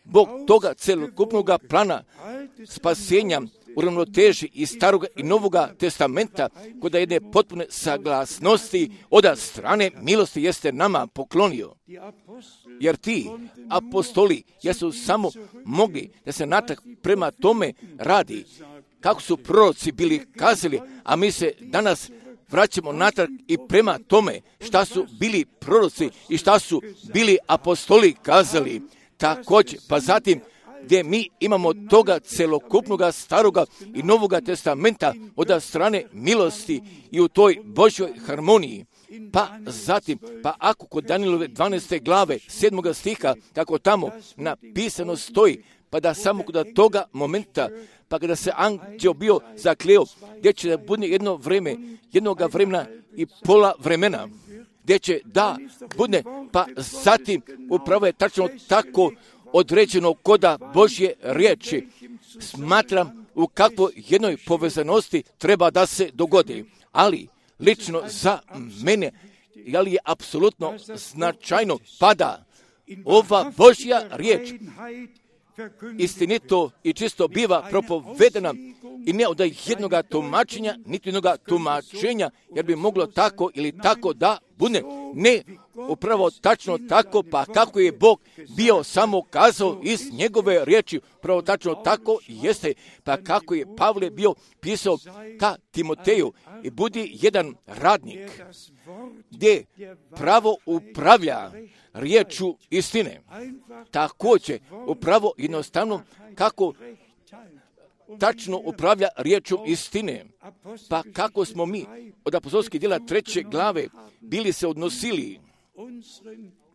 Bog toga celokupnoga plana spasenja u ravnoteži i Staroga i Novoga testamenta, kod jedne potpune saglasnosti od strane milosti jeste nama poklonio. Jer ti apostoli jesu samo mogli da se natak prema tome radi, kako su proroci bili kazali, a mi se danas vraćamo natrag i prema tome šta su bili proroci i šta su bili apostoli kazali. Također, pa zatim gdje mi imamo toga celokupnoga Staroga i Novoga testamenta od strane milosti i u toj Božjoj harmoniji. Pa zatim, pa ako kod Danijelove 12. glave 7. stiha, kako tamo napisano stoji, pa da samo kod toga momenta, pa kada se anđeo bio zakleo, gdje će da bude jednoga vremena i pola vremena, gdje će da bude, pa zatim upravo je tačno tako određeno koda Božje riječi. Smatram u kakvoj jednoj povezanosti treba da se dogodi, ali lično za mene, ali je apsolutno značajno pada ova Božja riječ istinito i čisto biva propovedena i ne od jednoga tumačenja, niti jednoga tumačenja, jer bi moglo tako ili tako da bude. Ne, upravo tačno tako, pa kako je Bog bio samo kazao iz njegove riječi, upravo tačno tako jeste, pa kako je Pavle bio pisao ka Timoteju i budi jedan radnik gdje pravo upravlja riječu istine. Također, upravo jednostavno kako tačno upravlja riječu istine. Pa kako smo mi od apostolskih djela 3. glave bili se odnosili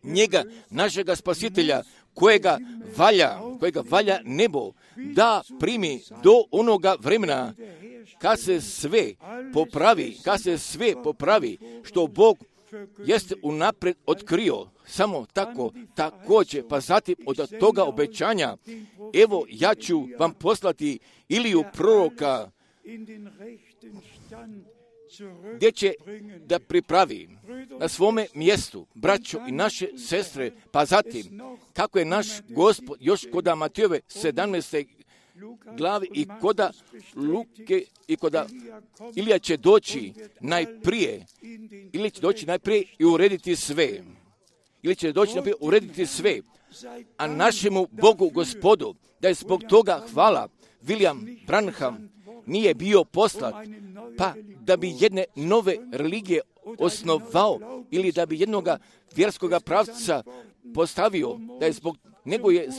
njega, našega spasitelja, kojega valja nebo da primi do onoga vremena kad se sve popravi, što Bog jeste unaprijed otkrio, samo tako, također, pa zatim od toga obećanja, evo ja ću vam poslati Iliju proroka, gdje će da pripravi na svome mjestu braćo i naše sestre, pa zatim, kako je naš Gospod još koda Matejove 17. glavi i koda Luke i koda Ilija će doći najprije i urediti sve. A našemu Bogu Gospodu, da je zbog toga hvala, William Branham nije bio poslat, pa da bi jedne nove religije osnovao ili da bi jednoga vjerskoga pravca postavio, da je zbog nego je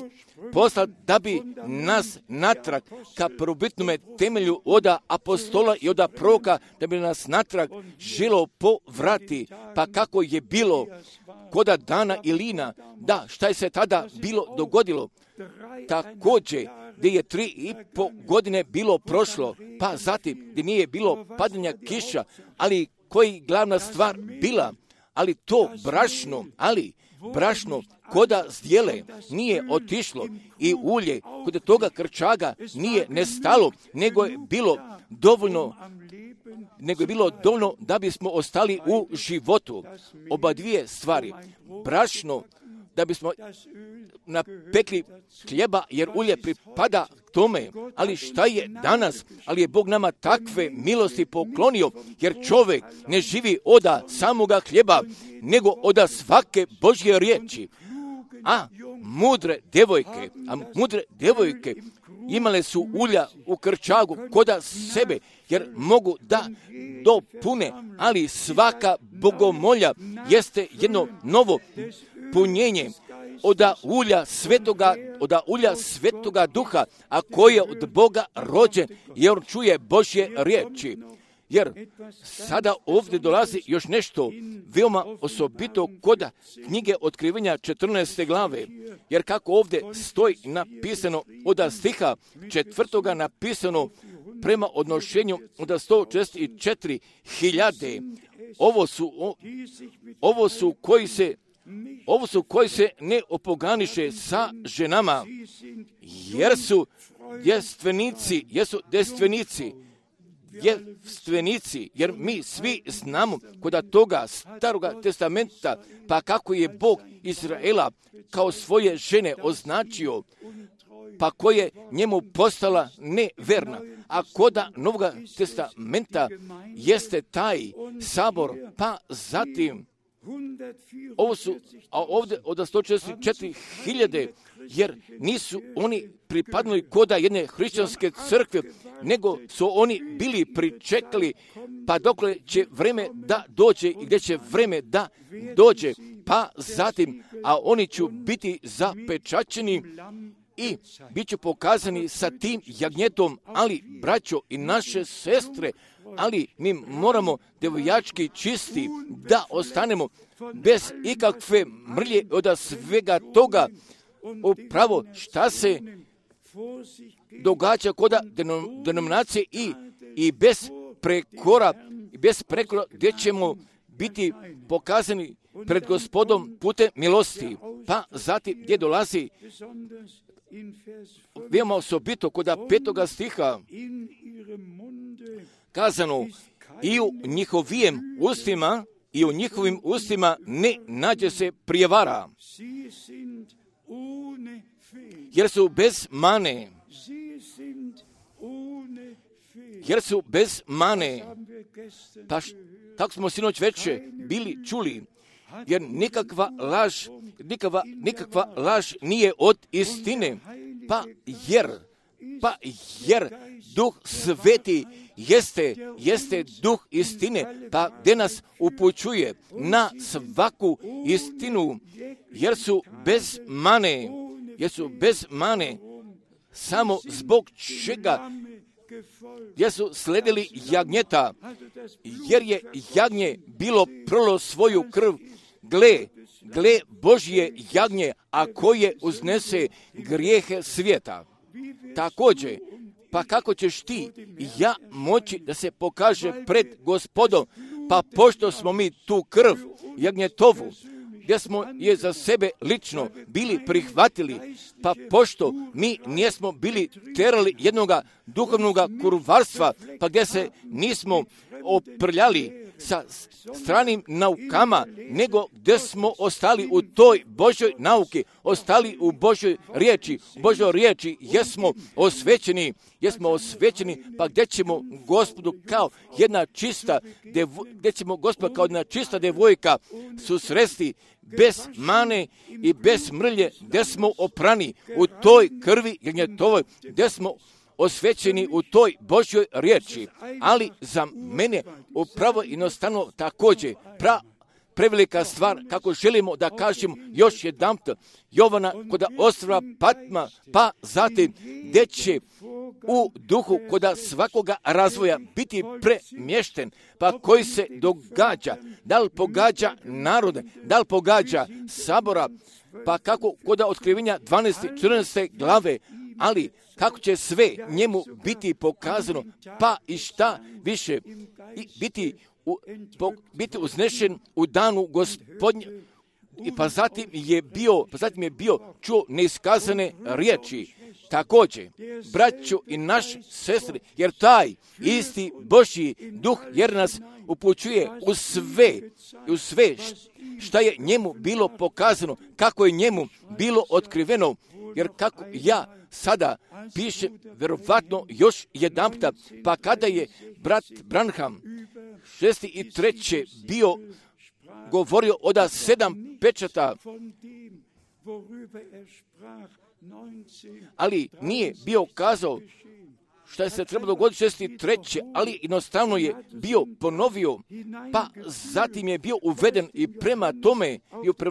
poslat da bi nas natrag ka prvobitnome temelju oda apostola i oda proroka, da bi nas natrag želo povrati, pa kako je bilo koda dana Ilina, da šta je se tada bilo dogodilo, također gdje je 3,5 godine bilo prošlo, pa zatim gdje nije bilo padanja kiša, ali koji glavna stvar bila, ali to brašno koda zdjele nije otišlo i ulje kod toga krčaga nije nestalo, nego je bilo dovoljno da bismo ostali u životu. Oba dvije stvari, brašno da bismo napekli hljeba, jer ulje pripada tome, ali šta je danas? Ali je Bog nama takve milosti poklonio, jer čovjek ne živi oda samoga hljeba, nego oda svake Božje riječi. A mudre devojke imale su ulja u krčagu koda sebe, jer mogu da dopune, ali svaka bogomolja jeste jedno novo punjenje oda ulja svetoga duha, a koji je od Boga rođen, jer čuje Božje riječi. Jer sada ovdje dolazi još nešto veoma osobito kod knjige Otkrivenja 14. glave, jer kako ovdje stoji napisano od stiha 4. napisano prema odnošenju od 144.000, ovo su koji se ne opoganiše sa ženama, jer su djevstvenici, jer mi svi znamo kod toga staroga testamenta, pa kako je Bog Izraela kao svoje žene označio, pa koje njemu postala neverna. A koda Novoga testamenta jeste taj sabor, pa zatim ovdje od 144.000, jer nisu oni pripadnuli koda jedne hrišćanske crkve, nego su oni bili pričekali, pa dokle će vreme da dođe i gdje će vreme da dođe, pa zatim, a oni će biti zapečaćeni i bit će pokazani sa tim jagnjetom, ali braćo i naše sestre, ali mi moramo devojački čisti da ostanemo bez ikakve mrlje od svega toga. Upravo šta se događa kod denominacije i bez prekora gdje ćemo biti pokazani pred Gospodom putem milosti. Pa zatim gdje dolazi veoma osobito kod 5. stiha kazano i u njihovim ustima ne nađe se prijevara, jer su bez mane. Pa tako smo sinoć večer bili čuli, jer nikakva laž nije od istine, pa jer Duh Sveti jeste Duh istine, pa gdje nas upućuje na svaku istinu, jer su bez mane, samo zbog čega, jer su sledili jagnjeta, jer je jagnje bilo prolo svoju krv, gle Božje jagnje, a koje uznese grijehe svijeta. Također, pa kako ćeš ti i ja moći da se pokaže pred Gospodom, pa pošto smo mi tu krv jagnjetovu, gdje smo je za sebe lično bili prihvatili, pa pošto mi nismo bili terali jednoga duhovnoga kurvarstva, pa gdje se nismo oprljali sa stranim naukama, nego gdje smo ostali u toj Božoj nauki, ostali u Božoj riječi, jesmo osvećeni, pa gdje ćemo Gospodu kao jedna čista devojka susresti bez mane i bez mrlje, gdje smo oprani u toj krvi jagnjetovoj, gdje smo osvećeni u toj Božjoj riječi, ali za mene upravo jednostavno također prevelika stvar, kako želimo da kažemo još jedanput, Jovana kod ostrva Patma, pa zatim gdje će u duhu kod svakoga razvoja biti premješten, pa koji se događa, da li pogađa narode, da li pogađa sabora, pa kako kod otkrivenja 12. 14. glave, ali kako će sve njemu biti pokazano, pa i šta više biti uznešen u danu Gospodnje. I pa zatim je bio čuo neiskazane riječi. Također, braćo i naše sestre, jer taj isti Božji duh jer nas upućuje u sve šta je njemu bilo pokazano, kako je njemu bilo otkriveno, jer kako ja sada pišem, vjerovatno još jedanputa, pa kada je brat Branham 6. i 3. bio govorio od 7 pečata, ali nije bio kazao šta je se trebalo dogoditi 6. i 3. ali jednostavno je bio ponovio, pa zatim je bio uveden i prema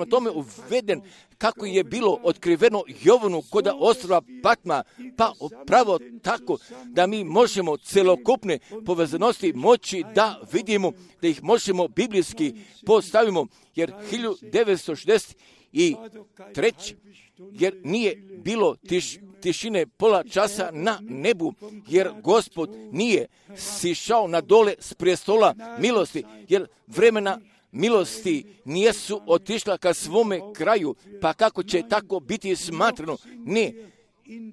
tome uveden kako je bilo otkriveno Jovanu kod ostrva Patma, pa upravo tako da mi možemo celokupne povezanosti moći da vidimo, da ih možemo biblijski postavimo, jer 1963. jer nije bilo tišine pola časa na nebu, jer Gospod nije sišao na dole s prijestola milosti, jer vremena milosti nijesu otišla ka svome kraju, pa kako će tako biti smatrano? Ne,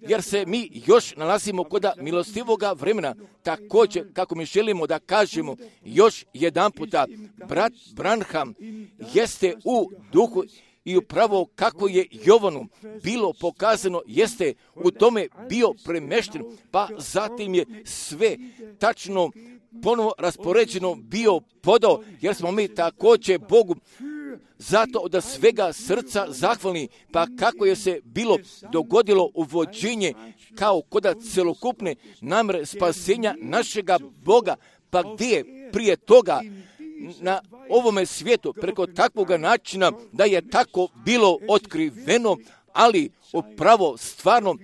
jer se mi još nalazimo kod milostivoga vremena. Također, kako mi želimo da kažemo još jedan puta, brat Branham jeste u duhu i upravo kako je Jovanu bilo pokazano, jeste u tome bio premješten, pa zatim je sve tačno ponovo raspoređeno bio podao, jer smo mi također Bogu zato od svega srca zahvalni, pa kako je se bilo dogodilo uvođenje kao kod celokupne namjere spasenja našega Boga, pa gdje je prije toga na ovome svijetu preko takvoga načina da je tako bilo otkriveno, ali upravo stvarno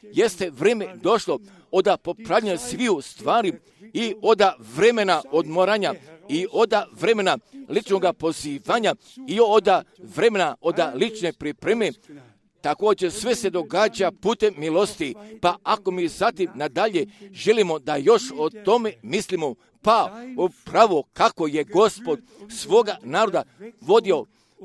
jeste vrijeme došlo od popravljanja sviju stvari i od vremena odmoranja i od vremena ličnog pozivanja i od vremena od lične pripreme. Također sve se događa putem milosti, pa ako mi zatim nadalje želimo da još o tome mislimo, pa upravo kako je Gospod svoga naroda vodio,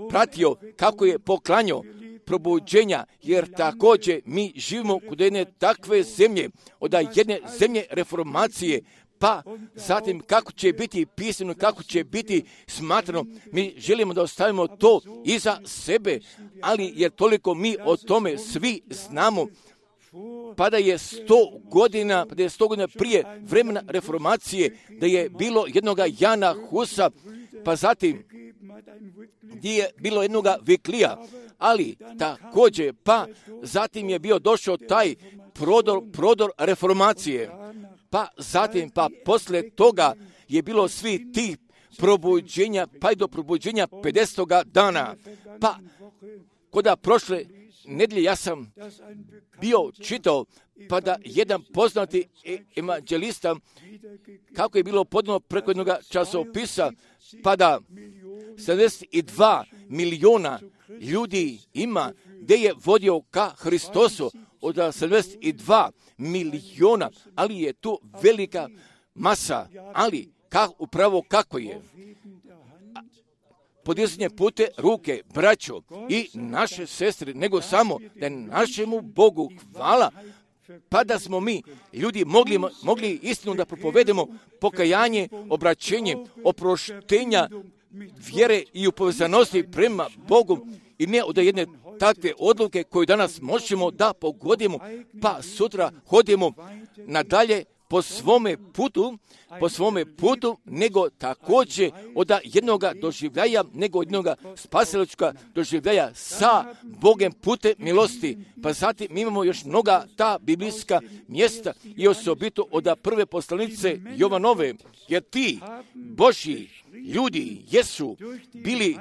pratio, kako je poklanjao probuđenja, jer također mi živimo kod jedne takve zemlje, od jedne zemlje reformacije, pa zatim kako će biti pisano, kako će biti smatrano, mi želimo da ostavimo to iza sebe, ali jer toliko mi o tome svi znamo, pa da je 100 godina prije vremena reformacije, da je bilo jednoga Jana Husa, pa zatim gdje je bilo jednoga Viklija, ali također, pa zatim je bio došao taj prodor reformacije, pa zatim, pa poslije toga je bilo svi ti probuđenja, pa i do probuđenja 50. dana, pa kod prošle nedjelje ja sam bio čitao, pa da jedan poznati evanđelista, kako je bilo podano preko jednog časopisa, pa da 72 milijuna ljudi ima, gdje je vodio ka Hristosu od 72 milijuna, ali je tu velika masa, ali upravo kako je podizanje pute ruke, braćo i naše sestre, nego samo da je našemu Bogu hvala, pa da smo mi ljudi mogli istinu da propovedemo pokajanje, obraćenje, oproštenja, vjere i u povezanosti prema Bogu i ne od jedne takve odluke koju danas možemo da pogodimo, pa sutra hodimo nadalje po svome putu, nego također od jednoga doživljaja, nego od jednoga spasilačka doživljaja sa Bogem putem milosti. Pa zatim mi imamo još mnoga ta biblijska mjesta i osobito od prve poslanice Jovanove, jer ti Božji ljudi jesu bili,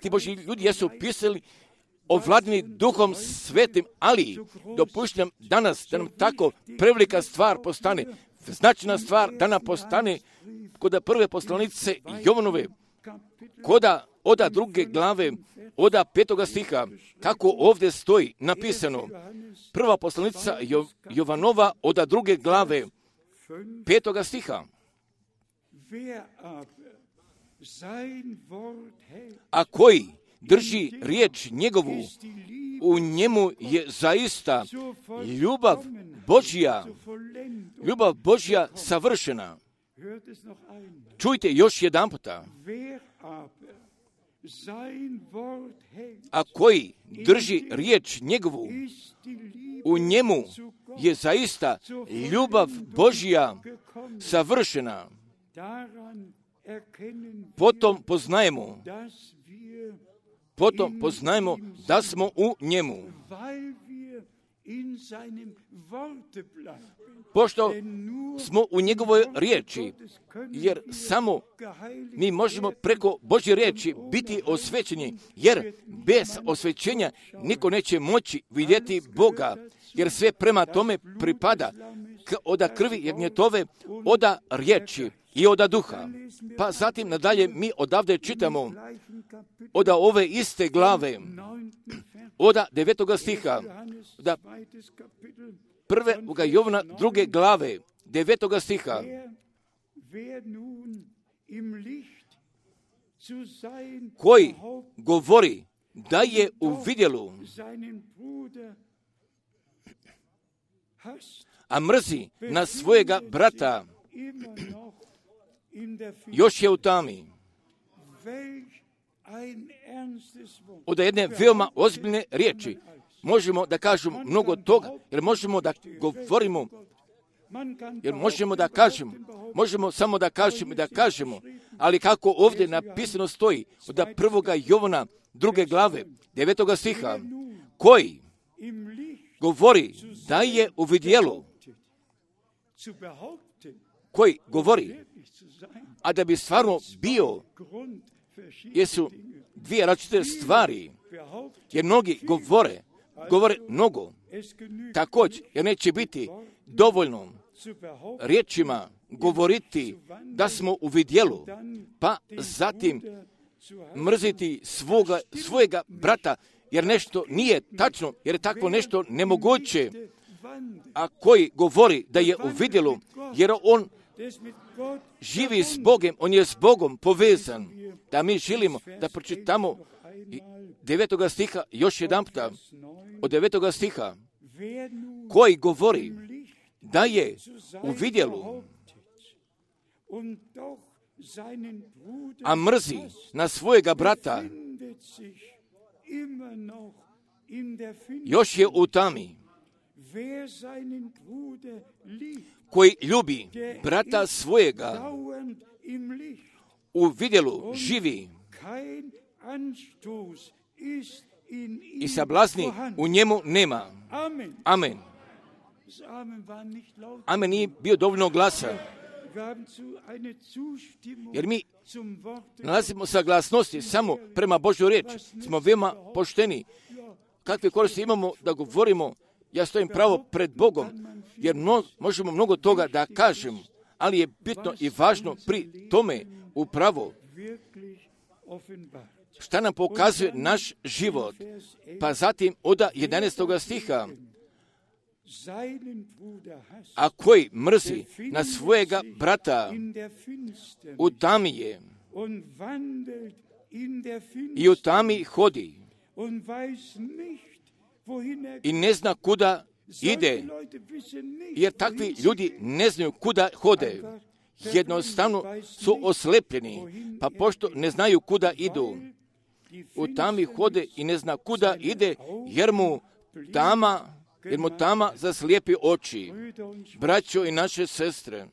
ti Božji ljudi jesu pisali ovladni Duhom Svetim, ali dopuštam danas da nam tako prevelika stvar postane, značajna stvar da nam postane kod prve poslanice Jovanove, od druge glave, od 5. stiha, kako ovdje stoji napisano. Prva poslanica Jovanova od druge glave, 5. stiha. A koji drži riječ njegovu, u njemu je zaista ljubav Božja savršena. Čujte još jedan puta. A koji drži riječ njegovu, u njemu je zaista ljubav Božja savršena. Potom poznajemo da smo u njemu. Pošto smo u njegovoj riječi, jer samo mi možemo preko Božje riječi biti osvećeni, jer bez osvećenja niko neće moći vidjeti Boga, jer sve prema tome pripada od krvi jagnjetove, od riječi i od duha. Pa zatim nadalje mi odavde čitamo od ove iste glave, od 9. stiha, da prve Jovana 2. glave, 9. stiha. Koji govori da je u vidjelu, a mrzi na svojega brata, još je u tami. Od jedne veoma ozbiljne riječi možemo da kažemo mnogo toga, jer možemo da govorimo, možemo samo da kažemo, ali kako ovdje napisano stoji od 1. Jovana 2. glave, 9. stiha, koji govori da je u vidjelu, koji govori, a da bi stvarno bio, jesu dvije različite stvari, jer mnogi govore mnogo, također, jer neće biti dovoljno riječima govoriti da smo u vidjelu, pa zatim mrziti svojega brata, jer nešto nije tačno, jer je takvo nešto nemoguće, a koji govori da je u vidjelu, jer on živi s Bogom, on je s Bogom povezan, da mi želimo da pročitamo 9. stiha još jedan puta, od 9. stiha, koji govori da je u vidjelu, a mrzi na svojega brata, još je u tami. Koji ljubi brata svojega, u vidjelu živi i sablazni u njemu nema. Amen. Amen nije bio dovoljno glasan, jer mi nalazimo saglasnosti samo prema Božjoj riječi. Smo veoma pošteni. Kakve koristi imamo da govorimo, ja stojim pravo pred Bogom, jer možemo mnogo toga da kažem, ali je bitno i važno pri tome upravo šta nam pokazuje naš život. Pa zatim od 11. stiha, a koji mrzi na svojega brata, u tami je i u tami hodi i ne zna kuda ide, jer takvi ljudi ne znaju kuda hode. Jednostavno su oslepljeni, pa pošto ne znaju kuda idu, u tami hode i ne zna kuda ide, jer mu tama jer mu tama zaslijepi oči. Braćo i naše sestre,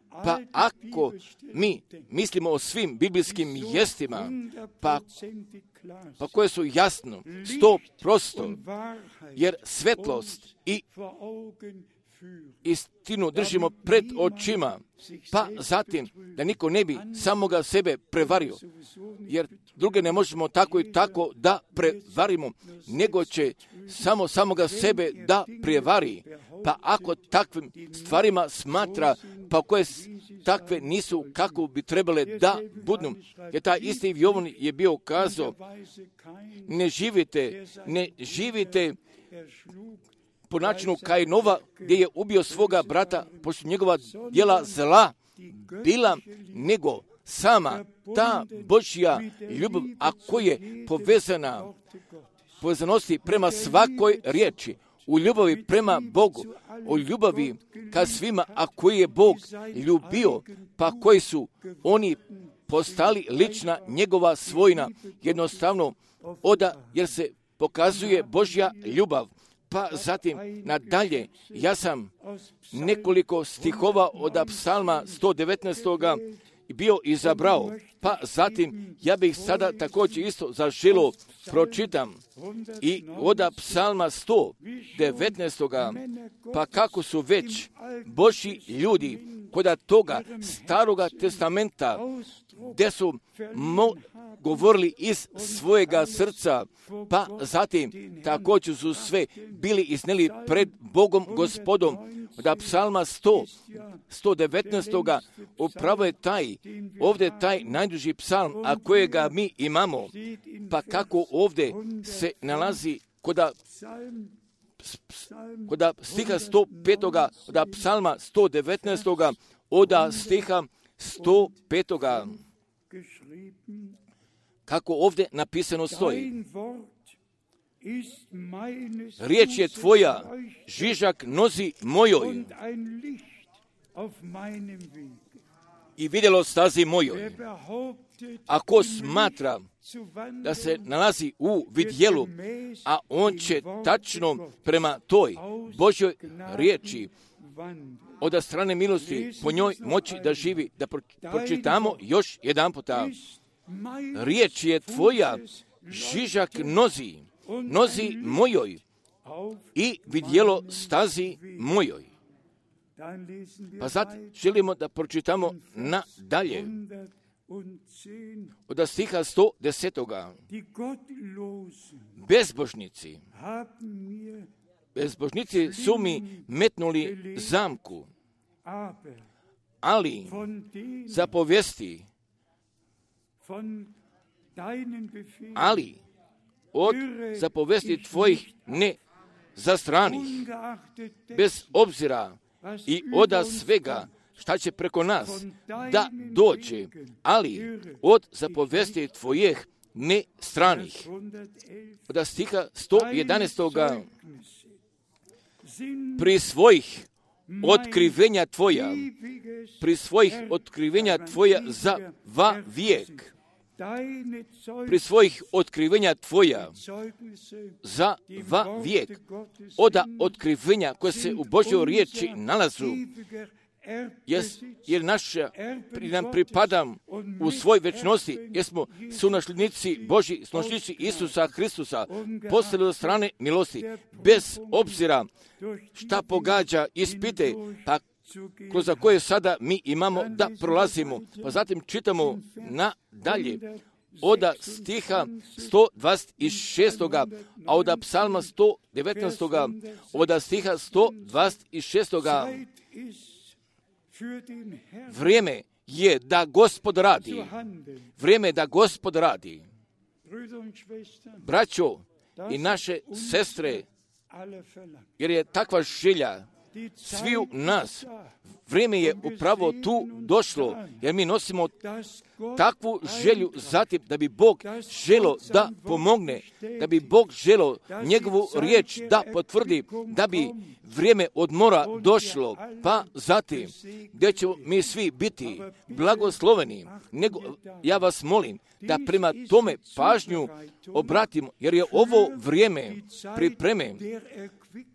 pa ako mi mislimo o svim biblijskim mjestima, pa koje su jasno, 100%, jer svetlost i istinu držimo pred očima, pa zatim da niko ne bi samoga sebe prevario, jer druge ne možemo tako i tako da prevarimo, nego će samoga sebe da prevari. Pa ako takvim stvarima smatra, pa koje takve nisu kako bi trebale da budu, jer taj isti Jovan je bio kazao, ne živite po načinu Kainova, gdje je ubio svoga brata, pošto njegova djela zla bila, nego sama ta Božja ljubav, a koja je povezanosti prema svakoj riječi, u ljubavi prema Bogu, u ljubavi ka svima, a koji je Bog ljubio, pa koji su oni postali lična njegova svojina, jednostavno jer se pokazuje Božja ljubav. Pa zatim nadalje, ja sam nekoliko stihova od Psalma 119. bio izabrao, pa zatim ja bih sada također isto zaželio pročitam i od Psalma 119. pa kako su već Božji ljudi kod toga Staroga testamenta, gdje su govorili iz svojega srca, pa zatim također su sve bili iznijeli pred Bogom Gospodom. Od Psalma 119. upravo je ovdje taj najduži psalm, a kojega mi imamo, pa kako ovdje se nalazi kod stiha 105. od Psalma 119. od stiha 105. kako ovdje napisano stoji. Riječ je tvoja, žižak nozi mojoj i vidjelo stazi mojoj. Ako smatra da se nalazi u vidjelu, a on će tačno prema toj Božjoj riječi od strane milosti po njoj moći da živi. Da pročitamo još jedan puta. Riječ je tvoja, žižak nozi mojoj i vidjelo stazi mojoj. Pa sad želimo da pročitamo nadalje od stiha 110. Bezbožnici su mi metnuli zamku, ali zapovesti, od zapovesti tvojih ne zastranih, bez obzira i oda svega šta će preko nas da dođe, ali od zapovesti tvojih ne stranih. Od stiha 111. Pri svojih otkrivenja tvoja za vijek. Pri svojih otkrivenja tvoja za vijek. Oda otkrivenja koje se u Božjoj riječi nalazu, jer nam pripadam u svoj večnosti, jer smo sunasljednici Božji, sunasljednici Isusa Hristusa, postali od strane milosti, bez obzira šta pogađa ispite, pa kroz koje sada mi imamo da prolazimo. Pa zatim čitamo nadalje od stiha 126. a od Psalma 119. od stiha 126. Vrijeme je da Gospod radi. Vrijeme je da Gospod radi. Braćo i naše sestre, jer je takva želja sviju nas, vrijeme je upravo tu došlo, jer mi nosimo takvu želju zatim da bi Bog želo da pomogne, da bi Bog želo njegovu riječ da potvrdi, da bi vrijeme odmora došlo, pa zatim gdje ćemo mi svi biti blagosloveni. Nego ja vas molim da prema tome pažnju obratimo, jer je ovo vrijeme pripreme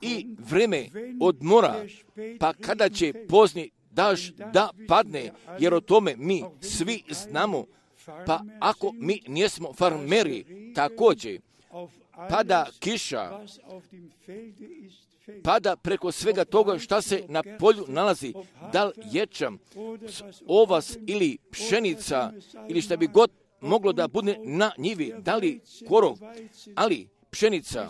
i vrijeme odmora, pa kada će pozni daš da padne, jer o tome mi svi znamo, pa ako mi nismo farmeri, također pada kiša, pada preko svega toga šta se na polju nalazi, da li ječam, ovas ili pšenica, ili šta bi god moglo da bude na njivi, da li korov, ali pšenica,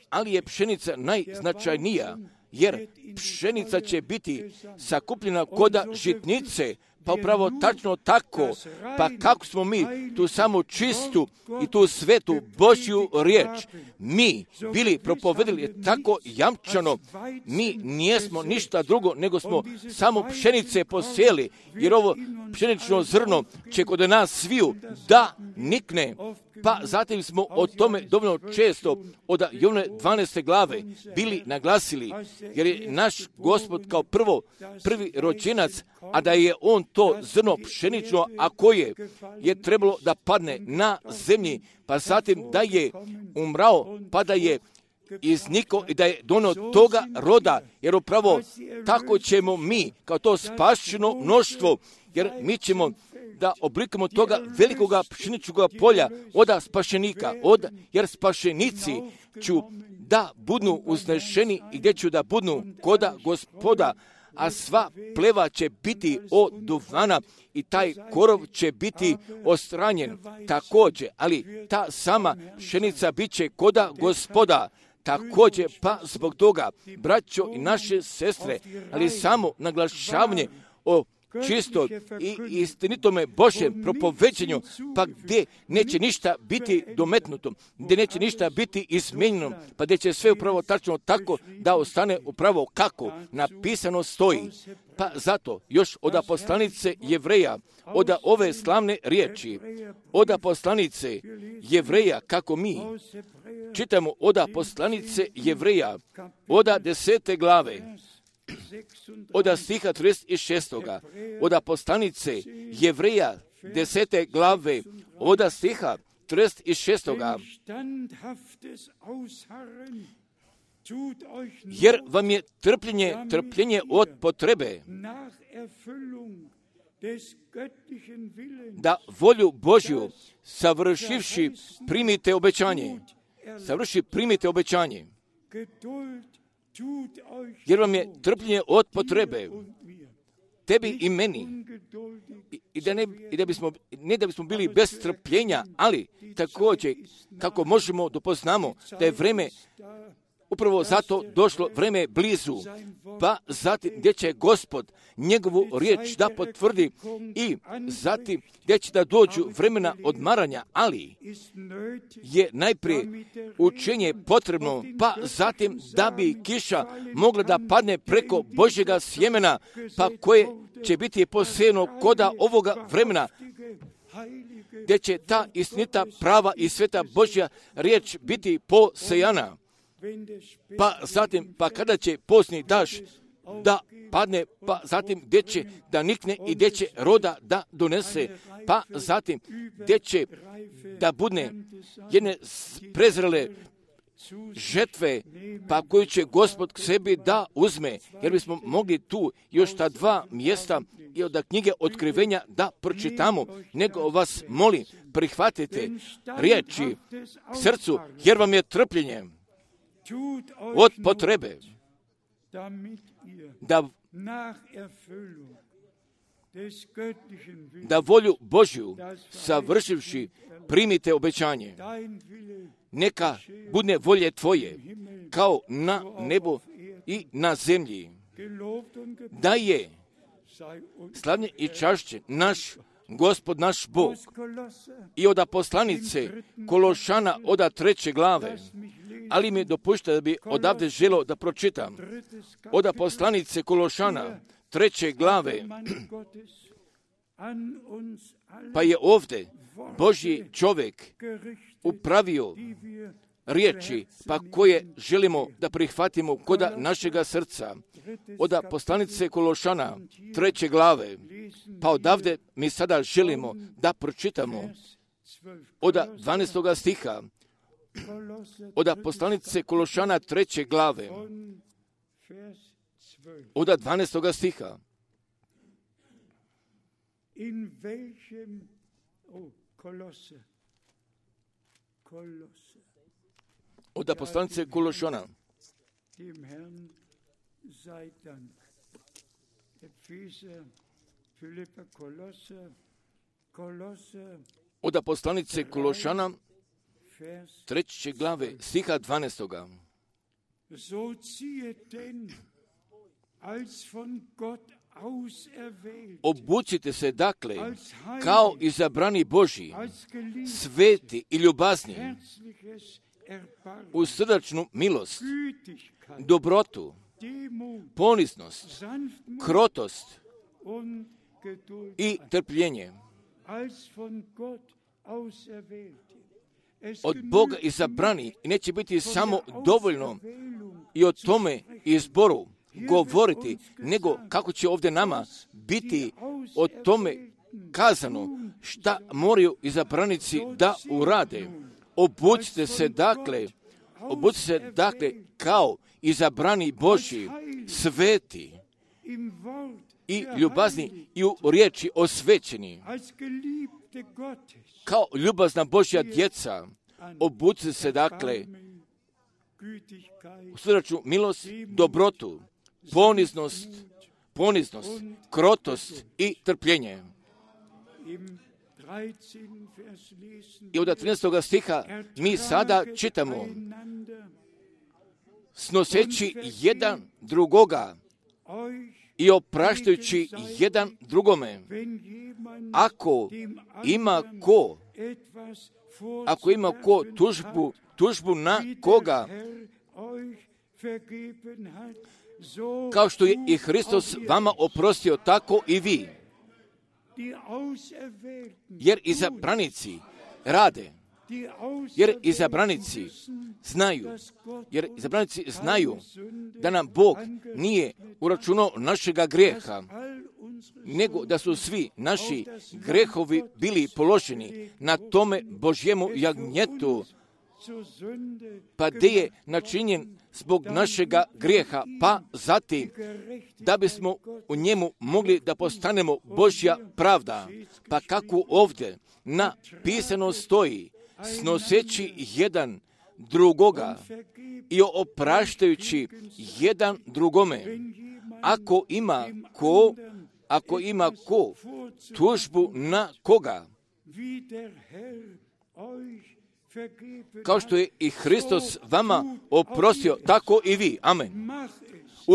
ali je pšenica najznačajnija, jer pšenica će biti sakupljena koda žitnice, pa upravo tačno tako, pa kako smo mi tu samo čistu i tu svetu Božju riječ mi bili propovedili tako jamčano, mi nijesmo ništa drugo nego smo samo pšenice posijeli, jer ovo pšenično zrno će kod nas sviju da nikne, pa zatim smo o tome dovoljno često od Jovne 12. glave bili naglasili, jer je naš Gospod kao prvi rođenac, a da je on to zrno pšenično, a koje je trebalo da padne na zemlji, pa zatim da je umrao, pa da je iznikao i da je donio toga roda, jer upravo tako ćemo mi, kao to spašeno mnoštvo, jer mi ćemo da oblikamo toga velikoga pšeničnog polja od spašenika, jer spašenici ću da budu uznešeni i gdje ću da budu koda Gospoda, a sva pleva će biti od duvana i taj korov će biti ostranjen također, ali ta sama pšenica bit će koda Gospoda. Također, pa zbog toga, braćo i naše sestre, ali samo naglašavanje o čisto i istinitome Božjem propoveđenju, pa gdje neće ništa biti dometnuto, gdje neće ništa biti izmijenjeno, pa gdje će sve upravo tačno tako da ostane upravo kako napisano stoji. Pa zato još od poslanice Jevreja, od ove slavne riječi, od poslanice Jevreja, kako mi čitamo od poslanice Jevreja, od 10. glave, od stiha 36. od poslanice Jevreja 10. glave, od stiha 36. Jer vam je trpljenje od potrebe, da volju Božju savršivši primite obećanje. Jer vam je trpljenje od potrebe, tebi i meni, ne da bismo bili bez trpljenja, ali također kako možemo da poznamo da je vreme upravo zato došlo, vreme je blizu, pa zatim gdje će Gospod njegovu riječ da potvrdi i zatim gdje će da dođu vremena odmaranja, ali je najprije učenje potrebno, pa zatim da bi kiša mogla da padne preko Božjega sjemena, pa koje će biti posejano koda ovoga vremena, gdje će ta istinita, prava i sveta Božja riječ biti posejana. Pa zatim, pa kada će pozni daš da padne, pa zatim gdje će da nikne i gdje će roda da donese, pa zatim gdje će da budne jedne prezrele žetve, pa koju će Gospod k sebi da uzme, jer bismo mogli tu još ta 2 mjesta i od knjige Otkrivenja da pročitamo, nego vas molim, prihvatite riječi srcu, jer vam je trpljenje od potrebe, da volju Božju savršivši primite obećanje. Neka bude volje tvoje, kao na nebu i na zemlji. Da je slavljen i čašćen naš Gospod, naš Bog. I od poslanice Kološana od 3. glave, ali mi dopušta da bi odavde želo da pročitam. Od poslanice Kološana 3. glave, Pa je ovdje Božji čovjek upravio riječi, pa koje želimo da prihvatimo kod našega srca. Od poslanice Kološana, 3. glave, pa odavde mi sada želimo da pročitamo od 12. stiha, od poslanice Kološana, 3. glave, od 12. stiha. Od poslanice Kološana. Od poslanice Kološana, 3. glave, stiha 12. So ziehet denn, als von Gott auserwählt, obucite se dakle kao izabrani Božji, sveti i ljubazni, herzliches Erbarmen, u srdačnu milost, Gütigkeit, dobrotu, Demut, poniznost, Sanftmut krotost und Geduld, i trpljenje. als von Gott auserwählt. Es Od Boga izabrani i neće biti samo dovoljno i o tome izboru govoriti, nego kako će ovdje nama biti o tome kazano šta moraju izabranici da urade. Obucite se dakle kao izabrani Božji, sveti im Wort i ljubazni i u riječi osvećeni, als geliebte Gottes, kao ljubazna Božja djeca. Obucite se dakle Erbarmen, Gütigkeit, u srdačnu milost, dobrotu, poniznost, krotost i trpljenje. im 13. Vers lesen, I od 13. stiha mi sada čitamo, einander, snoseći jedan drugoga euch, i opraštajući jedan drugome. wenn jemand Ako dem ima anderen ko, etwas ako ima ko vorzuwerfen tužbu na wie der koga, Herr euch vergeben hat, so kao što je i Hristos vama oprostio, tako i vi. die Auserwählten, Jer izabranici rade, die jer Auserwählten izabranici wissen, znaju, dass Gott jer uns izabranici keine znaju Sünde da nam Bog angerechnet nije hat, uračunao našega dass grijeha, all unsere nego da su Sünden svi naši grehovi bili položeni na tome Božjemu jagnjetu, zur Sünde pa gdje je načinjen zbog našega grijeha, pa zatim da bismo u njemu mogli da postanemo Božja pravda. Pa kako ovdje napisano stoji, snoseći jedan drugoga i opraštajući jedan drugome. Ako ima ko tužbu na koga, wie der Herr euch vergeben kao što je i Hristos hat, vama so oprostio, auch ihr. tako i vi. Amen. Mach es,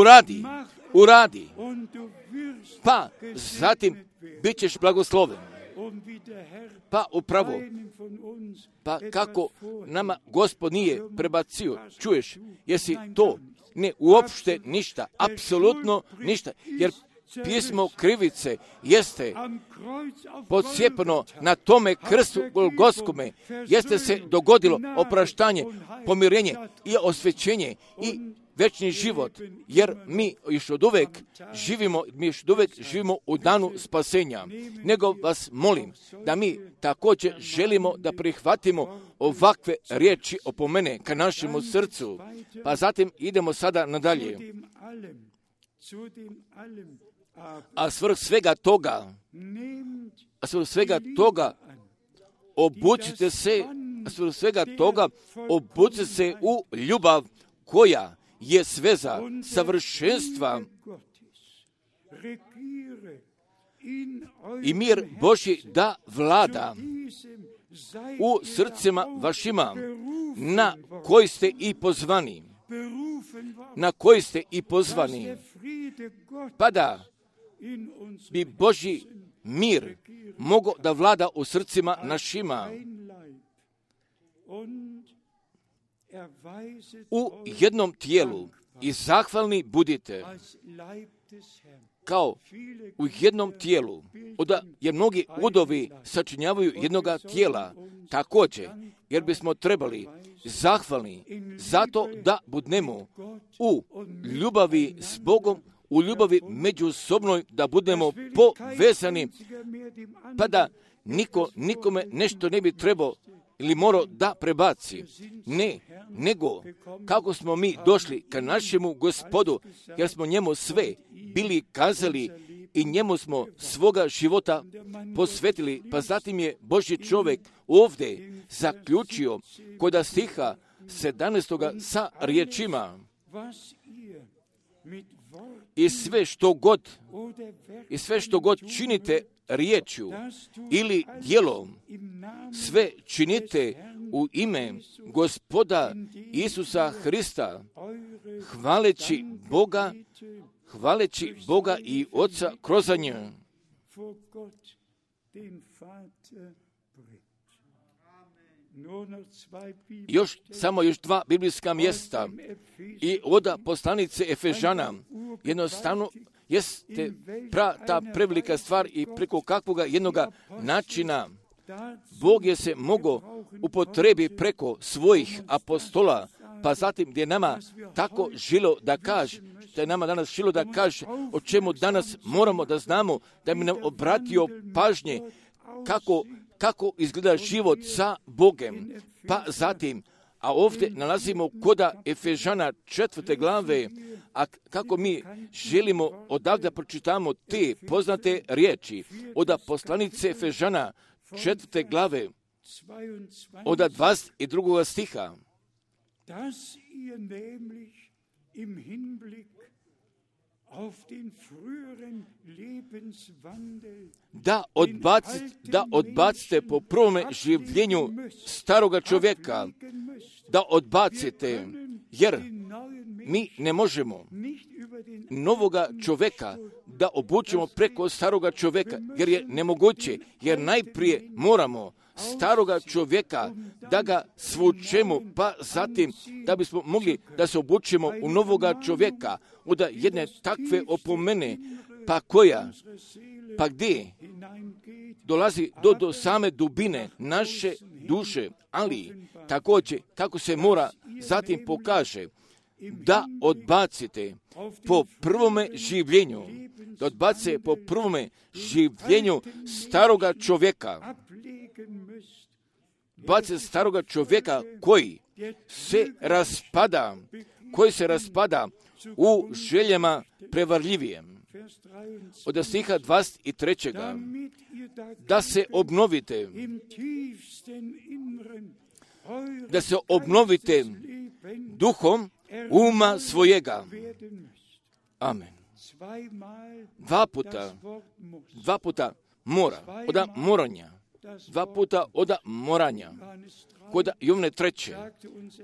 Uradi, und du wirst pa gesegnet zatim werden. bit ćeš blagosloven. Und wie der Herr Pa upravo, einem von uns pa etwas kako vorgibt, nama Gospod nije prebacio, čuješ, jesi to? Ne, uopšte ništa, apsolutno ništa, jer pismo krivice jeste am Kreuz auf podsjepano Golgotha na tome krstu Golgotskome, jeste se dogodilo opraštanje, pomirenje i osvećenje i večni život, jer mi još od uvek živimo u danu spasenja. Nego vas molim da mi također želimo da prihvatimo ovakve riječi opomene ka našemu srcu. Pa zatim idemo sada nadalje. zu dem allem, A svrh svega toga, obucite se u ljubav koja je sveza savršenstva i mir Božji da vlada u srcima vašima, na koji ste i pozvani, pa da bi Božji mir mogao da vlada u srcima našima. U jednom tijelu i zahvalni budite kao u jednom tijelu, jer mnogi udovi sačinjavaju jednoga tijela, također, jer bismo trebali zahvalni zato da budemo u ljubavi s Bogom, u ljubavi međusobnoj, da budemo povezani, pa da niko nikome nešto ne bi trebao ili morao da prebaci. Ne, nego kako smo mi došli ka našemu Gospodu, jer smo njemu sve bili kazali i njemu smo svoga života posvetili. Pa zatim je Božji čovjek ovdje zaključio kod stiha 17. sa riječima: i sve što god činite riječju ili djelom, sve činite u ime Gospoda Isusa Hrista, hvaleći Boga i Oca kroz njega. Samo još dva biblijska mjesta i od poslanice Efežana. Jednostavno jeste ta prevelika stvar i preko kakvoga jednoga načina Bog je se mogao upotrebi preko svojih apostola, pa zatim gdje nama tako žilo da kaže, što je nama danas žilo da kaže, o čemu danas moramo da znamo, da bi nam obratio pažnje kako izgleda život sa Bogem. Pa zatim, a ovdje nalazimo koda Efežana 4. glave, a kako mi želimo odavde pročitamo te poznate riječi od poslanice Efežana 4. glave od 22. stiha. Da odbacite po prvome življenju staroga čovjeka, da odbacite, jer mi ne možemo novoga čovjeka da obučimo preko staroga čovjeka, jer je nemoguće, jer najprije moramo staroga čovjeka da ga svučemo, pa zatim da bismo mogli da se obučimo u novoga čovjeka, od jedne takve opomene, pa gdje dolazi do same dubine naše duše, ali također kako se mora zatim pokaže da odbacite po prvome življenju, da odbacite po prvome življenju staroga čovjeka, bacite staroga čovjeka koji se raspada u željama prevarljivijem. Od stiha 23. da se obnovite duhom uma svojega. Amen. Dva puta mora, od moranja. Kod Jovne 3.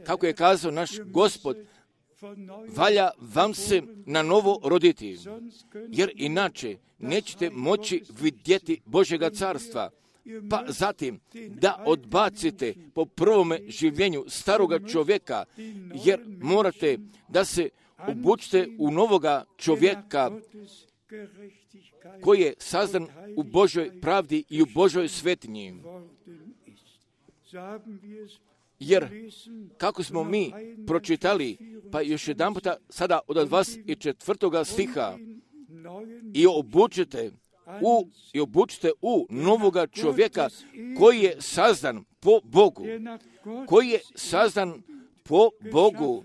kako je kazao naš Gospod, valja vam se na novo roditi, jer inače nećete moći vidjeti Božjega carstva. Pa zatim da odbacite po prvome življenju staroga čovjeka, jer morate da se obučite u novoga čovjeka koji je sazdan u Božoj pravdi i u Božoj svetinji. Jer kako smo mi pročitali, pa još jedan puta sada od 24. stiha, i obučite u novoga čovjeka koji je sazdan po Bogu,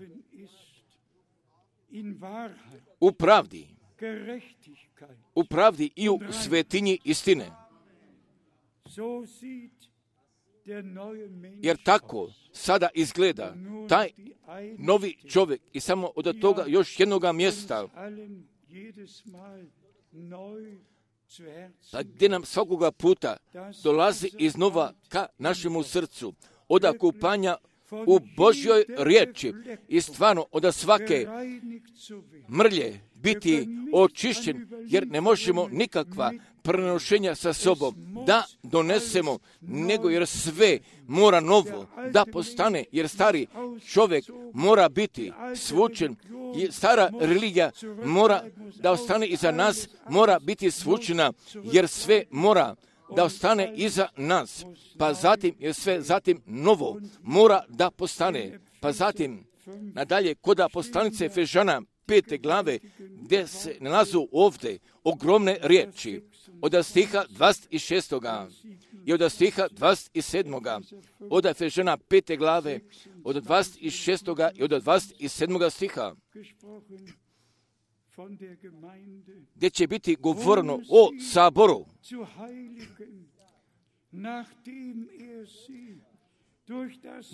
u pravdi i u svetinji istine. Jer tako sada izgleda taj novi čovjek. I samo od toga još jednoga mjesta, gdje nam svakoga puta dolazi iznova ka našemu srcu, od kupanja u Božjoj riječi i stvarno od svake mrlje biti očišćen, jer ne možemo nikakva prenošenja sa sobom da donesemo, nego jer sve mora novo da postane, jer stari čovjek mora biti svučen, stara religija mora da ostane iza nas, mora biti svučena, jer sve mora da ostane iza nas, pa zatim, jer sve zatim novo mora da postane, pa zatim nadalje kod poslanice Efežana 5. glave, gdje se nalazu ovdje ogromne riječi, od stiha 26. i od stiha 27. od Efežana 5. glave, od 26. i od 27. stiha, gdje će biti govoreno o saboru,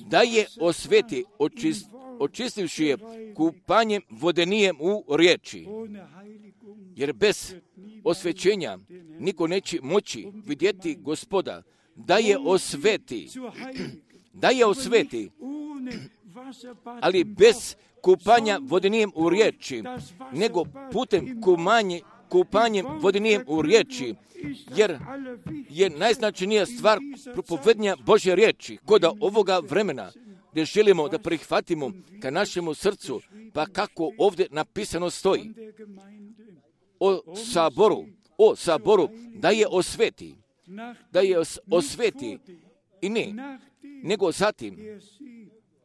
da je osveti, očistivši je kupanjem vodenijem u riječi. Jer bez osvećenja niko neće moći vidjeti Gospoda, da je osveti, ali bez kupanja vodenijem u riječi, nego putem kupanjem vodenijem u riječi, jer je najznačajnija stvar propovednja Božje riječi kod ovoga vremena, gdje želimo da prihvatimo ka našemu srcu, pa kako ovdje napisano stoji o saboru, da je osveti i ne, nego zatim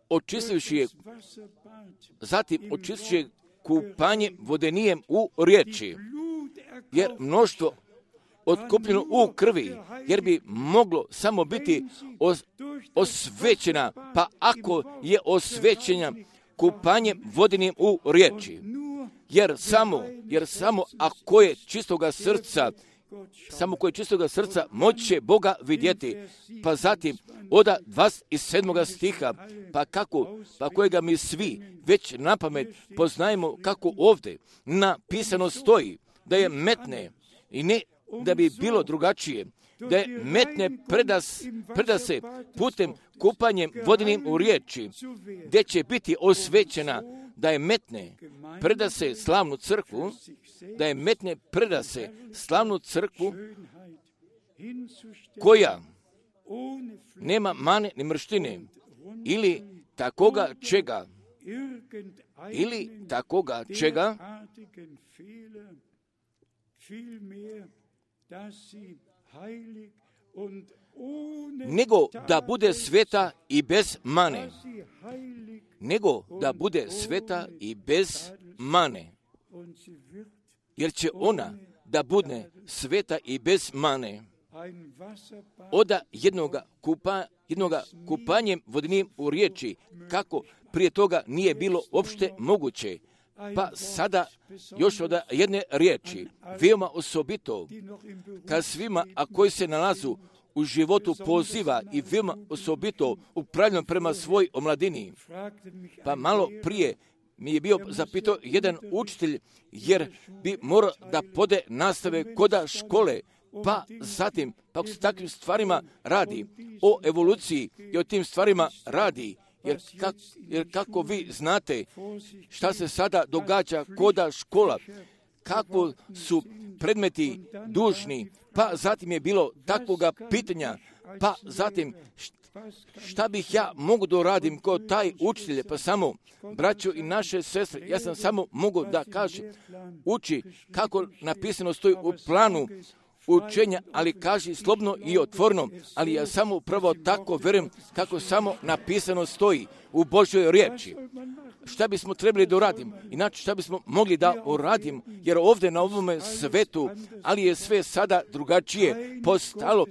očistivši je kupanjem vodenijem u riječi, jer mnoštvo otkupljeno u krvi, jer bi moglo samo biti osvećena, pa ako je osvećena kupanjem vodenim u riječi, jer samo ako je čistoga srca, moći će Boga vidjeti, pa zatim od 27. stiha, pa kojega mi svi već napamet poznajemo, kako ovdje napisano stoji, da je metne i ne da bi bilo drugačije, da je metne preda se putem kupanjem vodenim u riječi, gdje će biti osvećena, da je metne preda se slavnu crkvu, koja nema mane ni mrštine, ili takoga čega, nego da bude sveta i bez mane, jer će ona da bude sveta i bez mane. Od jednoga kupanjem vodenim u riječi, kako prije toga nije bilo uopšte moguće, pa sada još od jedne riječi, veoma osobito, kad svima, a koji se nalazu u životu poziva i veoma osobito upravljeno prema svoj omladini. Pa malo prije mi je bio zapitao jedan učitelj, jer bi morao da pode nastave koda škole, pa zatim, pa se takvim stvarima radi, o evoluciji i o tim stvarima radi, jer kako vi znate šta se sada događa koda škola, kako su predmeti dužni, pa zatim je bilo takvoga pitanja, pa zatim šta bih ja mogu da uradim kod taj učitelj, pa samo braćo i naše sestre, ja sam samo mogu da kažem, uči kako napisano stoji u planu učenja, ali kaži slobodno i otvoreno, ali ja samo upravo tako verujem kako samo napisano stoji u Božjoj riječi. Šta bismo trebali da uradimo? Inače, šta bismo mogli da uradimo? Jer ovdje na ovome svetu, ali je sve sada drugačije postalo.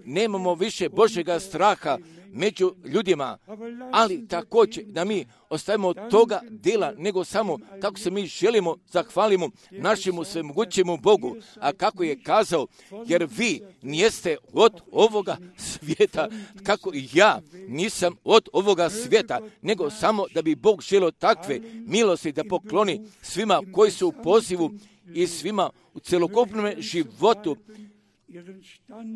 Nemamo više Božjega straha među ljudima, ali također da mi ostavimo toga dela, nego samo kako se mi želimo zahvalimo našemu svemogućemu Bogu, a kako je kazao, jer vi nijeste od ovoga svijeta, kako i ja nisam od ovoga svijeta, nego samo da bi Bog želio takve milosti da pokloni svima koji su u pozivu i svima u celokupnom životu,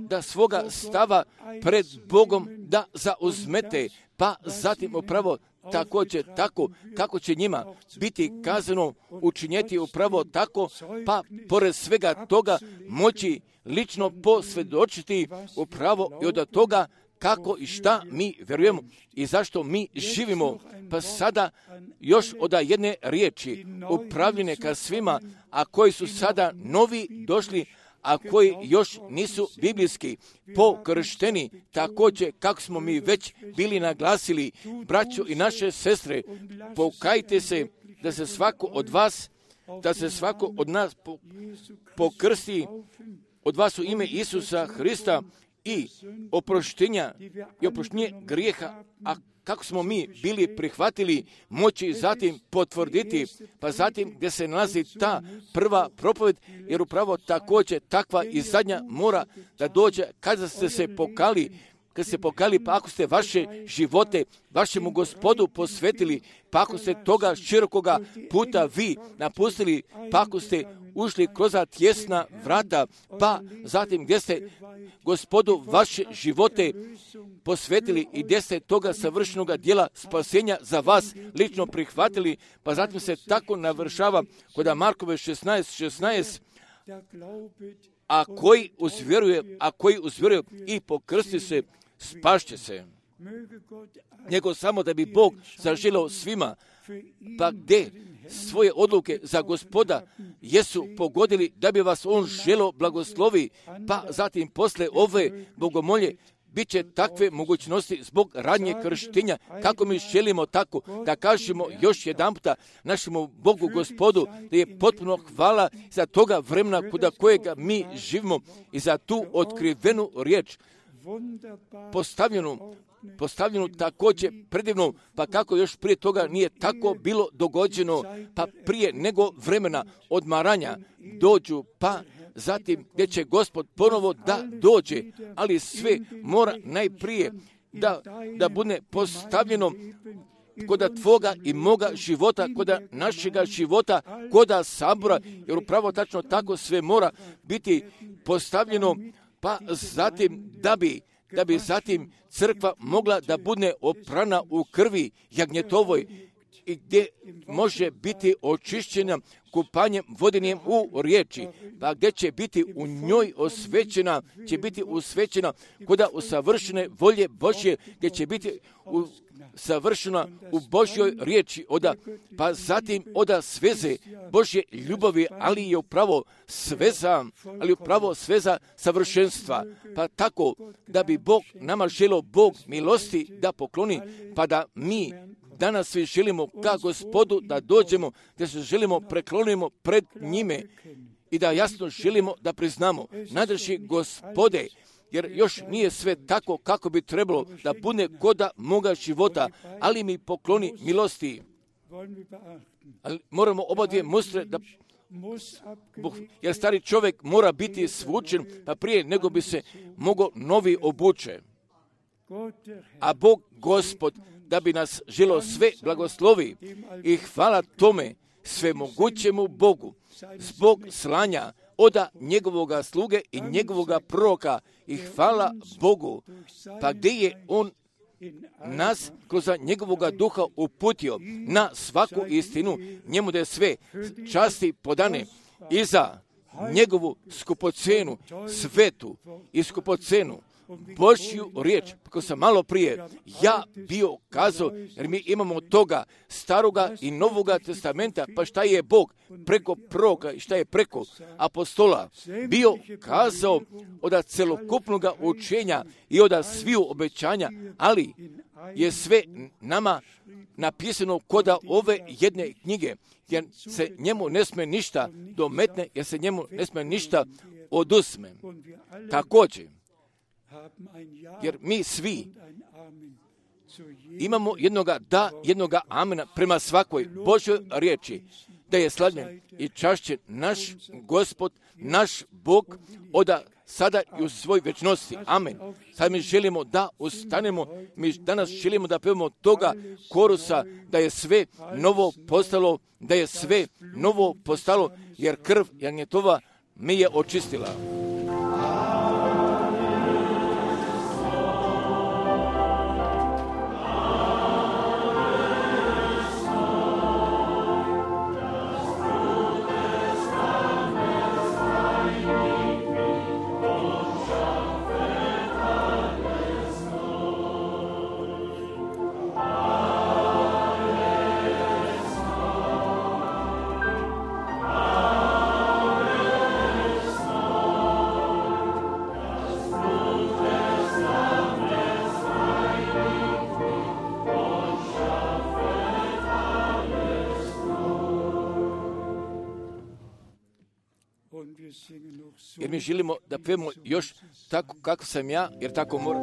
da svoga stava pred Bogom da zauzmete, pa zatim upravo također tako kako će njima biti kazano učinjeti upravo tako, pa pored svega toga moći lično posvjedočiti upravo i od toga kako i šta mi vjerujemo i zašto mi živimo. Pa sada još od jedne riječi upravljene ka svima, a koji su sada novi došli, a koji još nisu biblijski pokršteni, također kako smo mi već bili naglasili, braćo i naše sestre, pokajte se da se svako od vas, da se svako od nas pokrsti od vas u ime Isusa Hrista i oproštenje grijeha, a kako smo mi bili prihvatili, moći zatim potvrditi, pa zatim gdje se nalazi ta prva propoved, jer upravo također takva i zadnja mora da dođe kada ste se pokali, pa ako ste vaše živote vašemu Gospodu posvetili, pa ako ste toga širokoga puta vi napustili, pa ako ste ušli kroz tjesna vrata, pa zatim gdje ste Gospodu vaše živote posvetili i gdje ste toga savršenog djela spasenja za vas lično prihvatili, pa zatim se tako navršava kod Markove 16:16, a koji uzvjeruje i pokrsti se, spašće se. Nego samo da bi Bog zaželio svima, pa gdje svoje odluke za Gospoda jesu pogodili da bi vas on želio blagoslovi, pa zatim posle ove bogomolje bit će takve mogućnosti zbog radnje krštenja, kako mi želimo tako da kažemo još jedan puta našemu Bogu Gospodu da je potpuno hvala za toga vremena kuda kojega mi živimo i za tu otkrivenu riječ postavljenu također predivno, pa kako još prije toga nije tako bilo dogođeno, pa prije nego vremena odmaranja dođu, pa zatim gdje će Gospod ponovo da dođe, ali sve mora najprije da bude postavljeno koda tvoga i moga života, koda našega života, koda sabora, jer upravo tačno tako sve mora biti postavljeno, pa zatim da bi zatim crkva mogla da bude oprana u krvi jagnjetovoj i gdje može biti očišćena kupanjem vodenjem u riječi, pa gdje će biti u njoj osvećena koda usavršene volje Božje, gdje će biti savršena u Božjoj riječi, pa zatim sveze Božje ljubavi, ali je upravo sveza savršenstva, pa tako da bi Bog nama želio Bog milosti da pokloni, pa da mi danas svi želimo ka Gospodu da dođemo, da se želimo preklonimo pred njime i da jasno želimo da priznamo, nadrži Gospode, jer još nije sve tako kako bi trebalo da bude koda moga života, ali mi pokloni milosti. Ali moramo oba dvije mustre da jer stari čovjek mora biti svučen, pa prije nego bi se mogao novi obuče. A Bog Gospod da bi nas želio sve blagoslovi i hvala tome svemogućemu Bogu zbog slanja oda njegovoga sluge i njegovoga proroka i hvala Bogu, pa gdje je on nas kroz njegovoga duha uputio na svaku istinu, njemu da je sve časti podane i za njegovu skupocenu, svetu i skupocenu Božju riječ, kako sam malo prije ja bio kazao, jer mi imamo toga staroga i novoga testamenta, pa šta je Bog preko proroka i šta je preko apostola bio kazao od celokupnog učenja i od sviju obećanja, ali je sve nama napisano koda ove jedne knjige, jer se njemu ne sme ništa dometne, jer se njemu ne sme ništa oduzme. Također, jer mi svi imamo jednoga amena prema svakoj Božoj riječi, da je slavljen i čašćen naš Gospod, naš Bog, od sada i u svoj večnosti. Amen. Sad mi želimo da ustanemo, mi danas želimo da pevamo toga korusa, da je sve novo postalo, jer krv jagnjetova me je očistila. jer mi želimo da pevamo još tako kako sam ja, jer tako moram.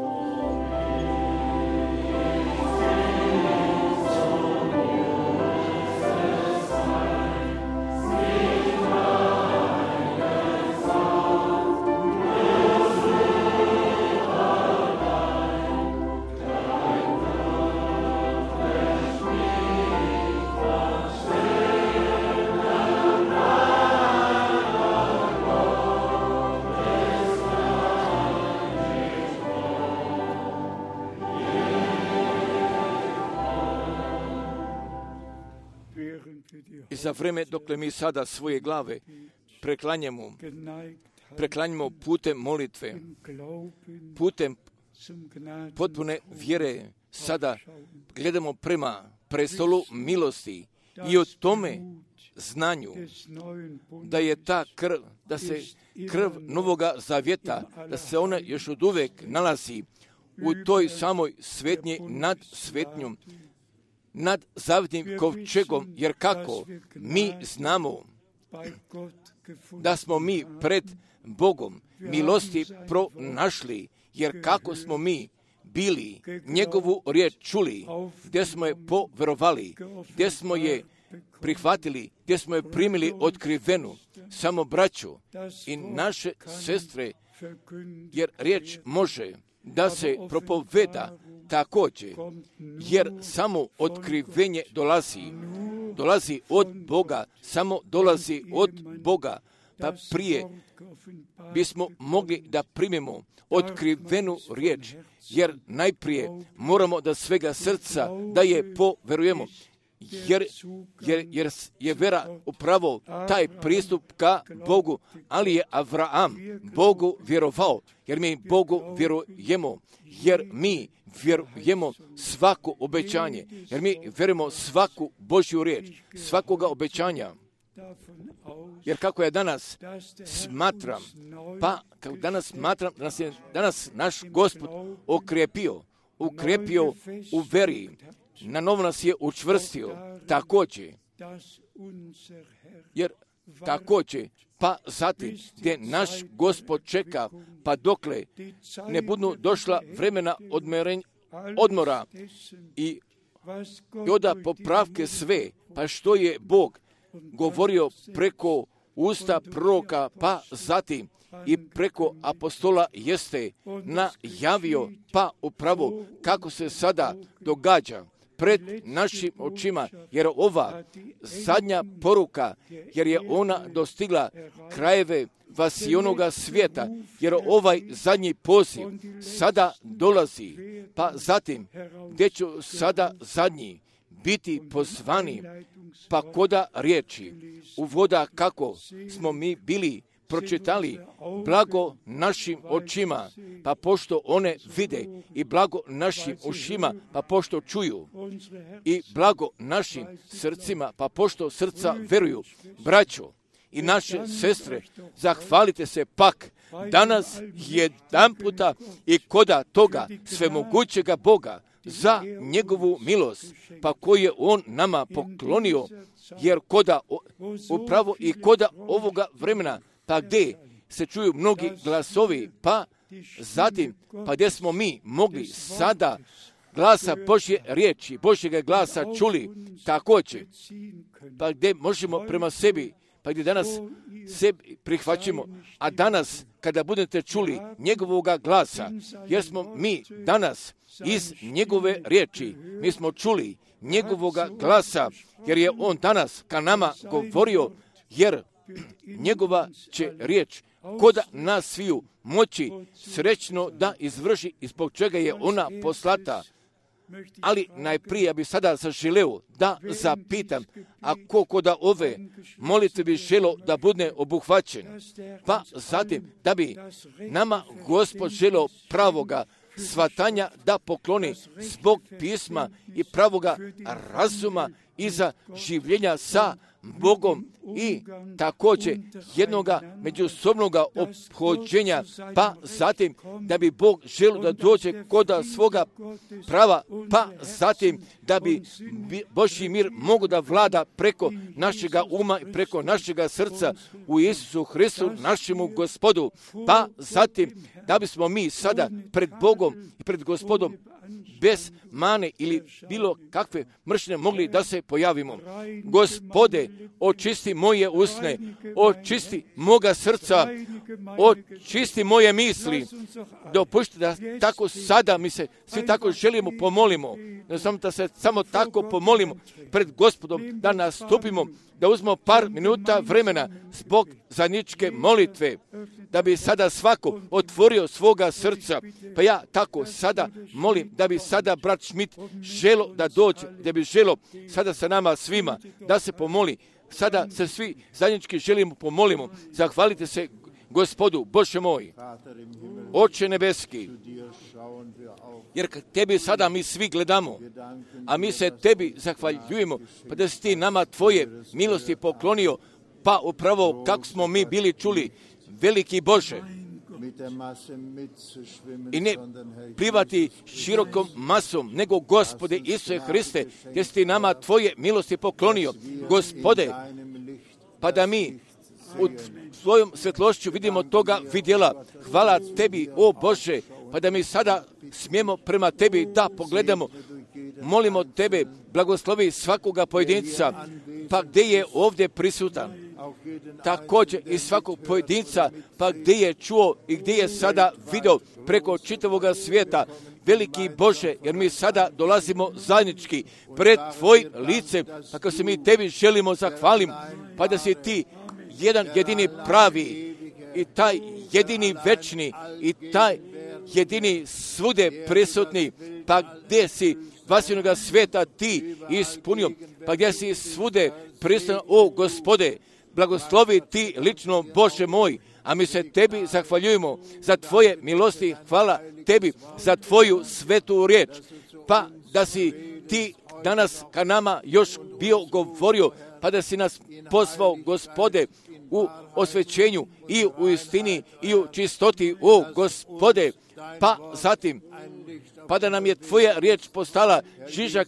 I za vreme dokle mi sada svoje glave preklanjamo putem molitve, putem potpune vjere, sada gledamo prema prestolu milosti i o tome znanju da je ta krv, da se krv Novoga Zavjeta, da se ona još od uvek nalazi u toj samoj svetnji nad svetnjom, nad zavjetnim kovčegom, jer kako mi znamo da smo mi pred Bogom milosti pronašli, jer kako smo mi bili njegovu riječ čuli, gdje smo je poverovali, gdje smo je prihvatili, gdje smo je primili otkrivenu, samo braću i naše sestre, jer riječ može da se propoveda također, jer samo otkrivenje dolazi od Boga, samo dolazi od Boga, pa prije bismo mogli da primimo otkrivenu riječ, jer najprije moramo da svega srca da je poverujemo, jer je vera upravo taj pristup ka Bogu, ali je Avraam Bogu vjerovao, jer mi Bogu vjerujemo, jer mi vjerujemo svako obećanje, jer mi vjerujemo svaku Božju riječ, svakoga obećanja. Jer kako ja danas smatram, da nas je danas naš Gospod okrepio u veri, na novo nas je učvrstio, također, jer također, pa zatim gdje naš Gospod čeka, pa dokle ne budu došla vremena odmora i onda popravke sve, pa što je Bog govorio preko usta proroka, pa zatim i preko apostola jeste najavio, pa upravo kako se sada događa pred našim očima, jer ova zadnja poruka, jer je ona dostigla krajeve vasionoga svijeta, jer ovaj zadnji poziv sada dolazi, pa zatim gdje ću sada zadnji biti pozvani, pa koda riječi uvoda kako smo mi bili pročitali, blago našim očima, pa pošto one vide, i blago našim ušima, pa pošto čuju, i blago našim srcima, pa pošto srca veruju. Braćo i naše sestre, zahvalite se pak danas jedanputa i koda toga svemogućega Boga za njegovu milost, pa koju je on nama poklonio, jer koda upravo i koda ovoga vremena, pa gdje se čuju mnogi glasovi, pa zatim, pa gdje smo mi mogli sada glasa Božje riječi, Božjega glasa čuli, također, pa gdje možemo prema sebi, pa gdje danas sebi prihvaćamo, a danas kada budete čuli njegovoga glasa, jer smo mi danas iz njegove riječi, mi smo čuli njegovoga glasa, jer je on danas ka nama govorio, jer njegova će riječ koda nas sviju moći srećno da izvrši, i zbog čega je ona poslata. Ali najprije ja bih sada zaželeo da zapitam, a koliko da ove molitve bi želo da bude obuhvaćen, pa zatim da bi nama Gospod želeo pravoga shvatanja da pokloni zbog pisma i pravoga razuma iza življenja sa Bogom i također jednoga međusobnoga ophođenja, pa zatim da bi Bog želio da dođe kod svoga prava, pa zatim da bi Božji mir mogu da vlada preko našega uma i preko našega srca u Isusu Hristu, našemu Gospodu, pa zatim da bismo mi sada pred Bogom i pred Gospodom bez mane ili bilo kakve mržnje mogli da se pojavimo. Gospode, očisti moje usne, očisti moga srca, očisti moje misli. Dopušti da tako sada mi se svi tako želimo pomolimo, da se samo tako pomolimo pred Gospodom, da nastupimo, da uzmemo par minuta vremena zbog zajedničke molitve, da bi sada svako otvorio svoga srca. Pa ja tako sada molim da bi sada brat Schmidt želo da dođe, da bi želo sada sa nama svima da se pomoli. Sada se svi zajednički želimo pomolimo. Zahvalite se Gospodu, Bože moj, Oče nebeski, jer tebi sada mi svi gledamo, a mi se tebi zahvaljujemo, pa da si ti nama tvoje milosti poklonio, pa upravo kako smo mi bili čuli, veliki Bože, i ne plivati širokom masom, nego Gospode Isuse Hriste, gdje si ti nama tvoje milosti poklonio, Gospode, pa da mi u svojom svjetlošću vidimo toga vidjela. Hvala tebi, o Bože, pa da mi sada smijemo prema tebi da pogledamo. Molimo tebe, blagoslovi svakoga pojedinca, pa gdje je ovdje prisutan. Također i svakog pojedinca, pa gdje je čuo i gdje je sada vidio preko čitavoga svijeta. Veliki Bože, jer mi sada dolazimo zajednički pred tvoj lice, pa kako se mi tebi želimo zahvalim, pa da si ti jedan jedini pravi i taj jedini večni i taj jedini svude prisutni, pa gdje si vasilnoga svijeta ti ispunio, pa gdje si svude prisutan, o Gospode, blagoslovi ti lično, Bože moj, a mi se tebi zahvaljujemo za tvoje milosti, hvala tebi za tvoju svetu riječ, pa da si ti danas ka nama još bio govorio, pa da si nas pozvao, Gospode, u osvećenju i u istini i u čistoti, o Gospode, pa zatim, pa da nam je tvoja riječ postala žižak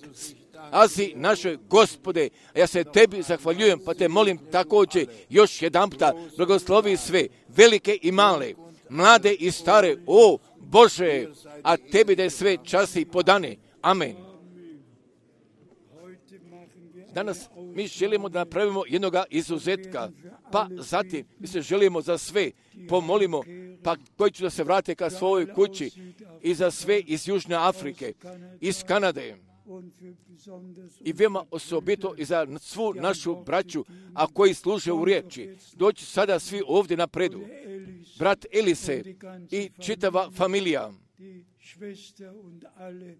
Azi našoj Gospode, a ja se tebi zahvaljujem, pa te molim također još jedanputa, blagoslovi sve, velike i male, mlade i stare, o Bože, a tebi da je sve časti podane. Amen. Danas mi želimo da napravimo jednoga izuzetka, pa zatim mi se želimo za sve pomolimo, pa koji će da se vrate ka svojoj kući i za sve iz Južne Afrike, iz Kanade i veoma osobito i za svu našu braću, a koji služe u riječi. Doći sada svi ovdje napredu. Brat Elise i čitava familija,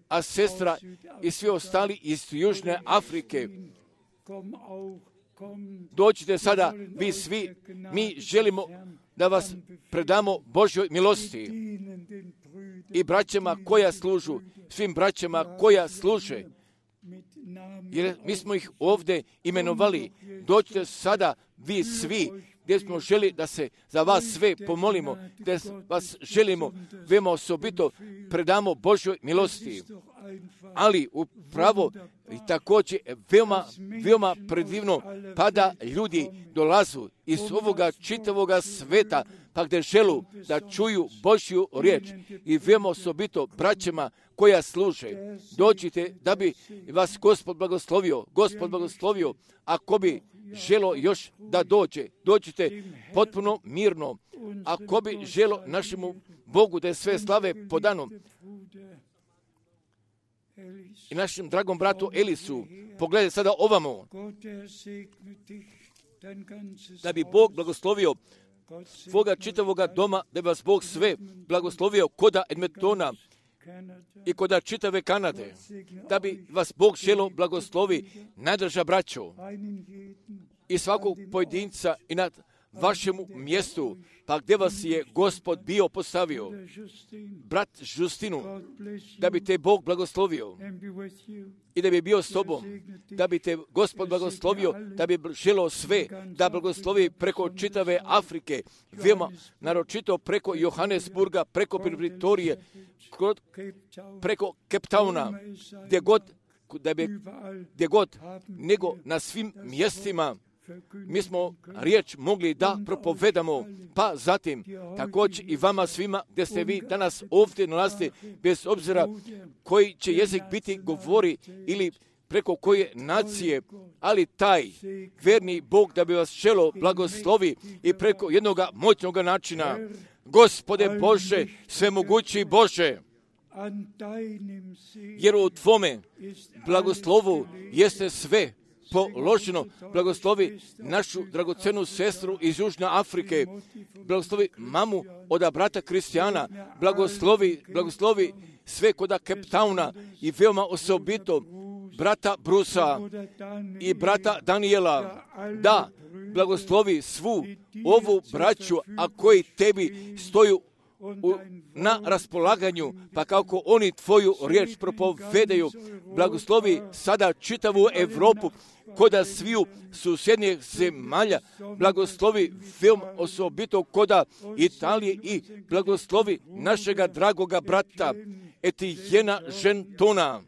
a sestra i svi ostali iz Južne Afrike. Dođite sada, vi svi, mi želimo da vas predamo Božjoj milosti i braćama koja služu, svim braćama koja služe, jer mi smo ih ovdje imenovali. Dođite sada, vi svi, gdje smo želi da se za vas sve pomolimo, gdje vas želimo veoma osobito predamo Božjoj milosti. Ali upravo i također veoma predivno, pa da ljudi dolazu iz ovoga čitavoga sveta, pa gdje želu da čuju Božju riječ i veoma osobito braćama koja služe. Dođite da bi vas Gospod blagoslovio, ako bi želo još da dođite potpuno mirno, ako bi želo našemu Bogu da je sve slave podano i našem dragom bratu Elisu. Pogledaj sada ovamo, da bi Bog blagoslovio svoga čitavoga doma, da bi vas Bog sve blagoslovio koda Edmontona i koda čitave Kanade, da bi vas Bog želo blagoslovi, najdraža braćo, i svakog pojedinca i nad vašemu mjestu, pa gdje vas je Gospod bio postavio, brat Justinu, da bi te Bog blagoslovio i da bi bio s tobom, da bi te Gospod blagoslovio, da bi želio sve, da blagoslovi preko čitave Afrike, veoma naročito preko Johannesburga, preko Pretorie, preko Cape Towna, gdje god, nego na svim mjestima mi smo riječ mogli da propovedamo, pa zatim također i vama svima gdje ste vi danas ovdje nalazite, bez obzira koji će jezik biti govori ili preko koje nacije, ali taj verni Bog da bi vas želo blagoslovi i preko jednog moćnog načina. Gospode Bože, svemogući Bože, jer u Tvome blagoslovu jeste sve položeno. Blagoslovi našu dragocenu sestru iz Južne Afrike, blagoslovi mamu od brata Kristijana, blagoslovi sve kod Cape Towna i veoma osobito brata Brusa i brata Daniela, da blagoslovi svu ovu braću, a koji tebi stoju na raspolaganju, pa kako oni tvoju riječ propovedaju, blagoslovi sada čitavu Europu, koda sviju susjednijih zemalja, blagoslovi veoma osobito koda Italije i blagoslovi našega dragoga brata Etijena Žentona.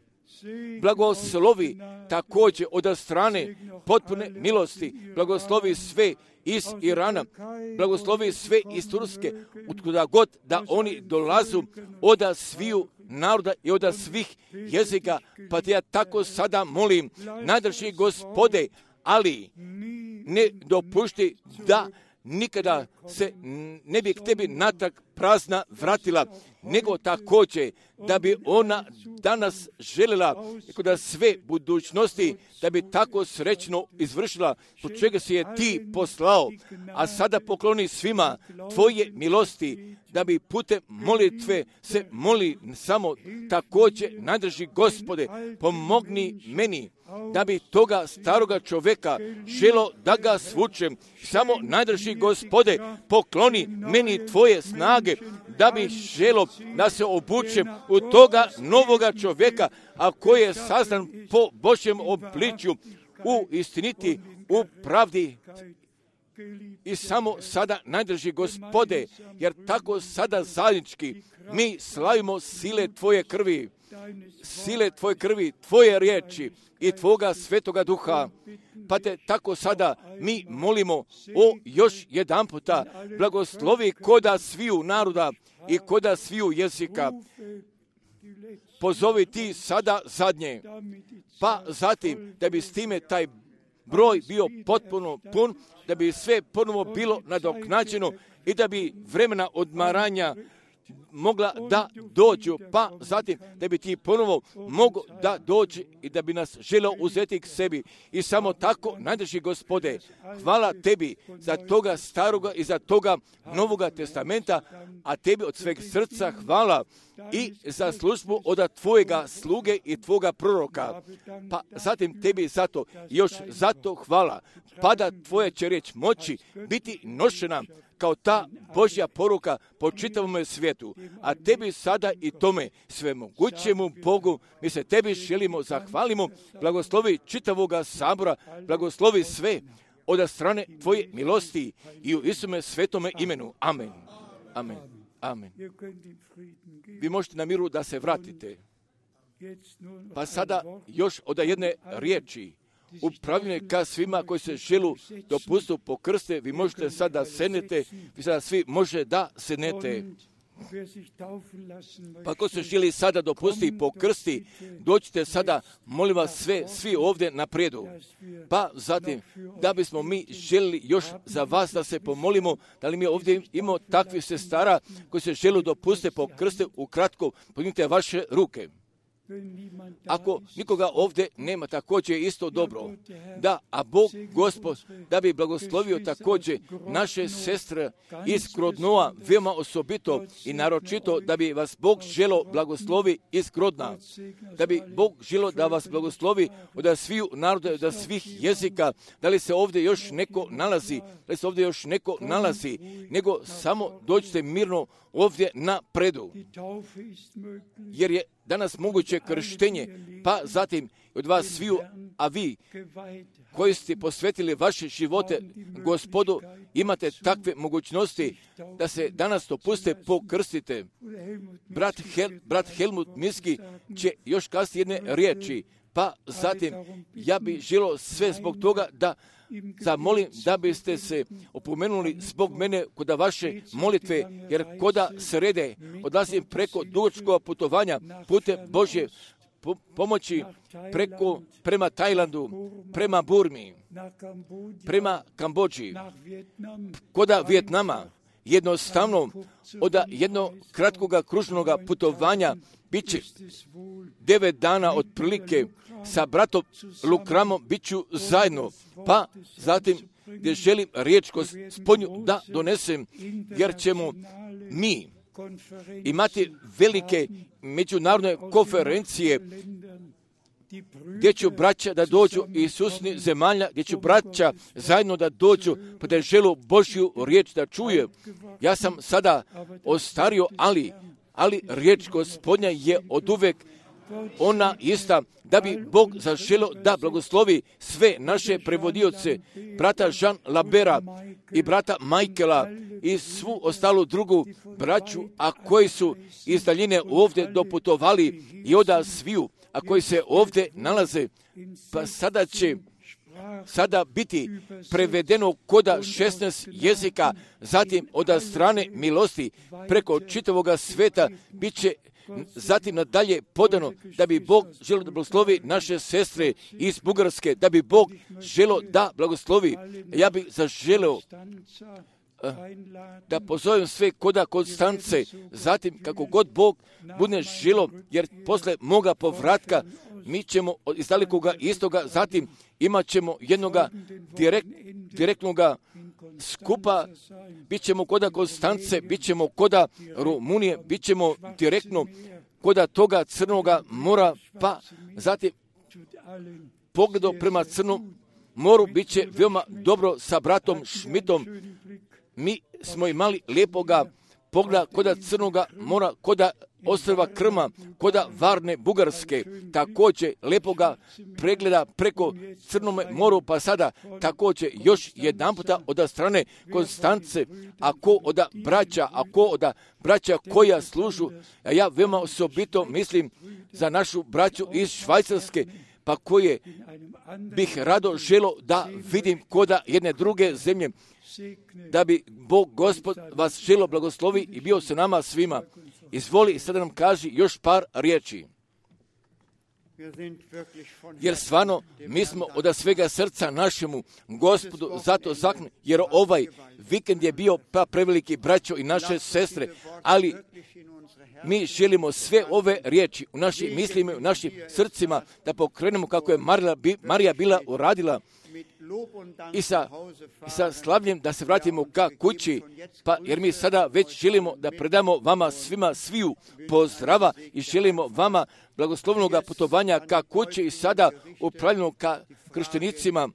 Blagoslovi također od strane potpune milosti, blagoslovi sve iz Irana, blagoslovi sve iz Turske, utkuda god da oni dolazu od sviju naroda i od svih jezika, pa te ja tako sada molim, nadrži Gospode, ali ne dopušti da nikada se ne bi k tebi natrag prazna vratila, nego također da bi ona danas željela da sve budućnosti, da bi tako srećno izvršila po čega si je ti poslao, a sada pokloni svima tvoje milosti, da bi putem molitve se moli samo također nadrži Gospode, pomogni meni da bi toga staroga čovjeka želo da ga svučem, samo nadrži Gospode, pokloni meni tvoje snage, da bi želo da se obučem u toga novoga čovjeka, a koji je sazdan po Božjem obličju, u istiniti, u pravdi. I samo sada nadrži Gospode, jer tako sada zajednički mi slavimo sile tvoje krvi, tvoje riječi i tvoga svetoga duha. Pa te tako sada mi molimo o još jedan puta, blagoslovi koda sviju naroda i koda sviju jezika. Pozovi ti sada zadnje, pa zatim da bi s time taj broj bio potpuno pun, da bi sve ponovo bilo nadoknađeno i da bi vremena odmaranja mogla da dođu, pa zatim da bi ti ponovo mogo da dođi i da bi nas želio uzeti k sebi. I samo tako nadrži Gospode, hvala tebi za toga staroga i za toga novoga testamenta, a tebi od sveg srca hvala i za službu od tvojega sluge i tvoga proroka. Pa zatim tebi zato, još zato hvala, pa da tvoja će riječ moći biti nošena kao ta Božja poruka po čitavom svijetu. A tebi sada i tome svemogućemu Bogu mi se tebi želimo zahvalimo, blagoslovi čitavoga sabora, blagoslovi sve od strane tvoje milosti i u Isume svetome imenu. Amen. Amen. Amen. Vi možete na miru da se vratite. Pa sada još od jedne riječi. Upravljanje ka svima koji se želu dopustiti po krste, vi možete sada sednete, vi sada svi može da sednete. Pa ako se želi sada dopustiti po krsti, dođite sada, molim vas svi ovdje naprijedu. Pa zatim, da bismo mi želi još za vas da se pomolimo, da li mi ovdje imamo takvih sestara koji se želu dopustiti po krste, ukratko, podignite vaše ruke. Ako nikoga ovdje nema, također je isto dobro. Da, a Bog, Gospod, da bi blagoslovio također naše sestre iz Grodnoa, veoma osobito i naročito, da bi vas Bog želo blagoslovi iz Grodna. Da bi Bog želo da vas blagoslovi od sviju naroda, od svih jezika. Da li se ovdje još neko nalazi? Da li se ovdje još neko nalazi? Nego samo dođite mirno ovdje na predu. Jer je danas moguće krštenje, pa zatim od vas sviju, a vi koji ste posvetili vaše živote Gospodu, imate takve mogućnosti da se danas dopuste pokrstite. Brat Helmut Miski će još kazati jedne riječi, pa zatim ja bih želio sve zbog toga da zamolim da biste se opomenuli zbog mene kod vaše molitve, jer koda srede odlazim preko dugačkog putovanja putem Božje pomoći prema Tajlandu, prema Burmi, prema Kambodži, koda Vijetnama. Jednostavno, od jednog kratkog kružnog putovanja bit će 9 dana otprilike sa bratom Lukramom bit ću zajedno, pa zatim gdje želim riječ Gospodnju da donesem, jer ćemo mi imati velike međunarodne konferencije gdje ću braća da dođu iz susjednih zemalja, gdje ću braća zajedno da dođu, pa da želu Božju riječ da čuje. Ja sam sada ostario, ali riječ Gospodnja je oduvek ona ista, da bi Bog zaželio da blagoslovi sve naše prevodioce, brata Jean Labera i brata Michaela i svu ostalu drugu braću, a koji su iz daljine ovdje doputovali i oda sviju, a koji se ovdje nalaze, pa sada će biti prevedeno koda 16 jezika, zatim od strane milosti preko čitavoga sveta bit će zatim nadalje podano, da bi Bog želio da blagoslovi naše sestre iz Bugarske, da bi Bog želio da blagoslovi. Ja bih zaželio da pozovem sve koda Konstance, zatim kako god Bog bude želio, jer posle moga povratka mi ćemo iz dalekoga istoga, zatim imat ćemo jednoga direktnoga skupa, bit ćemo koda Konstance, bit ćemo koda Rumunije, bit ćemo direktno koda toga Crnoga mora, pa zatim pogledom prema Crnom moru bit će veoma dobro sa bratom Šmitom. Mi smo imali lijepoga pogleda koda Crnoga mora, koda ostrva Krma, koda Varne Bugarske, također lijepoga pregleda preko Crnome moru, pa sada također još jedan puta od strane Konstance, ako od braća koja služu, a ja veoma osobito mislim za našu braću iz Švajcarske, pa koje bih rado želio da vidim koda jedne druge zemlje, da bi Bog Gospod vas želio blagoslovi i bio se nama svima. Izvoli i sada nam kaži još par riječi. Jer stvarno mi smo od svega srca našemu Gospodu zato zakljeni, jer ovaj vikend je bio pa preveliki braćo i naše sestre, ali mi želimo sve ove riječi u našim mislima i u našim srcima da pokrenemo kako je Marija bila uradila i sa slavljem da se vratimo ka kući, pa jer mi sada već želimo da predamo vama svima sviju pozdrava i želimo vama blagoslovnog putovanja ka kući i sada upravljeno ka krštenicima,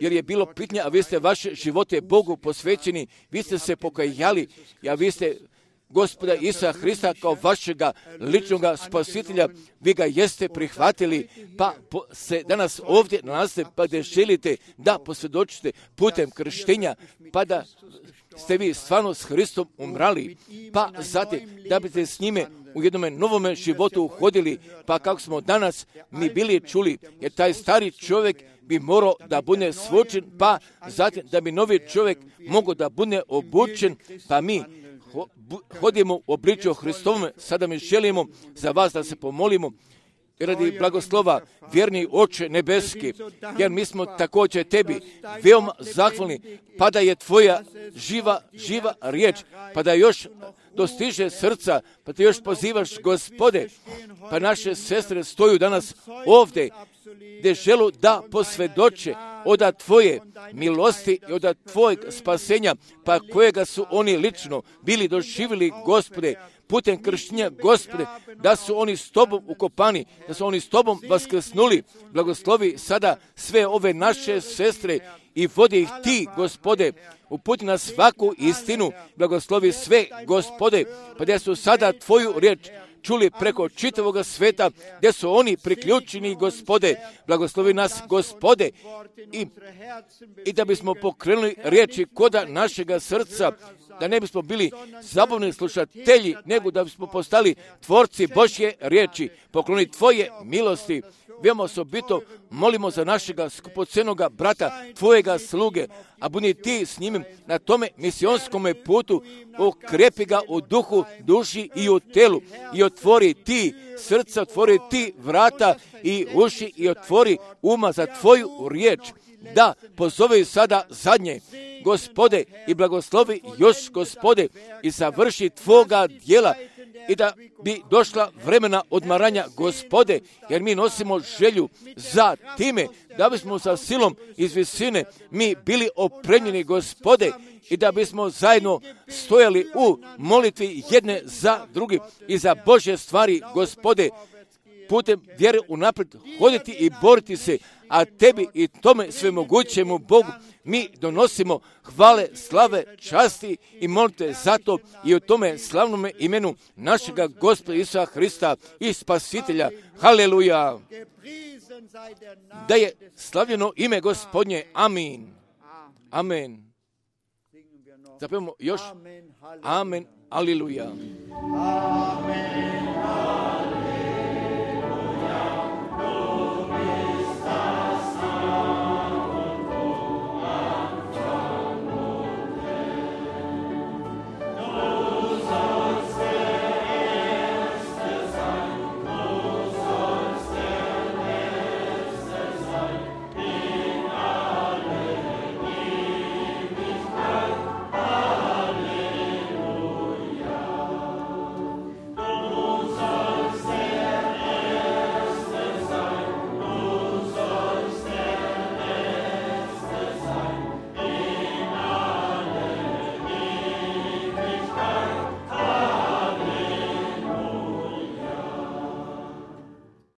jer je bilo pitanje, a vi ste vaše živote Bogu posvećeni, vi ste se pokajali, a vi ste Gospoda Isusa Hrista kao vašega ličnog spasitelja, vi ga jeste prihvatili, pa se danas ovdje nalazite, pa da želite da posvjedočite putem krštenja, pa da ste vi stvarno s Hristom umrali, pa zatim da biste s njime u jednom novome životu uhodili, pa kako smo danas mi bili čuli, jer taj stari čovjek bi morao da bude svočen, pa zatim da bi novi čovjek mogao da bude obučen, pa mi hodimo u obličju Hristovome. Sada mi želimo za vas da se pomolimo radi blagoslova, vjerni Oče nebeski, jer mi smo također tebi veoma zahvalni, pa da je tvoja živa riječ, pa da još dostiže srca, pa te još pozivaš, Gospode, pa naše sestre stoju danas ovdje, gdje želu da posvjedoče od Tvoje milosti i od Tvojeg spasenja, pa kojega su oni lično bili doživjeli, Gospode, putem krštenja, Gospode, da su oni s Tobom ukopani, da su oni s Tobom vaskrsnuli. Blagoslovi sada sve ove naše sestre i vodi ih Ti, Gospode, uputi na svaku istinu. Blagoslovi sve, Gospode, pa gdje su sada Tvoju riječ čuli preko čitavoga sveta, gdje su oni priključeni, Gospode. Blagoslovi nas, Gospode, i da bismo pokrenuli riječi koda našega srca, da ne bismo bili zabavni slušatelji, nego da bismo postali tvorci Božje riječi. Pokloni Tvoje milosti. Veoma osobito molimo za našega skupocenoga brata, Tvojega sluge, a budi Ti s njim na tome misijonskome putu, okrepi ga u duhu, duši i u telu i otvori Ti srca, otvori Ti vrata i uši i otvori uma za Tvoju riječ. Da, pozovi sada zadnje, Gospode, i blagoslovi još, Gospode, i završi Tvoga djela, i da bi došla vremena odmaranja, Gospode, jer mi nosimo želju za time, da bismo sa silom iz visine mi bili opremljeni, Gospode, i da bismo zajedno stojali u molitvi jedne za drugi i za Božje stvari, Gospode, putem vjere unaprijed hoditi i boriti se, a Tebi i tome svemogućemu Bogu mi donosimo hvale, slave, časti i molite zato i o tome slavnome imenu našega Gospoda Isusa Hrista i Spasitelja. Haleluja! Da je slavljeno ime Gospodnje. Amin. Amen. Zapevamo još. Amen. Aleluja. Amen.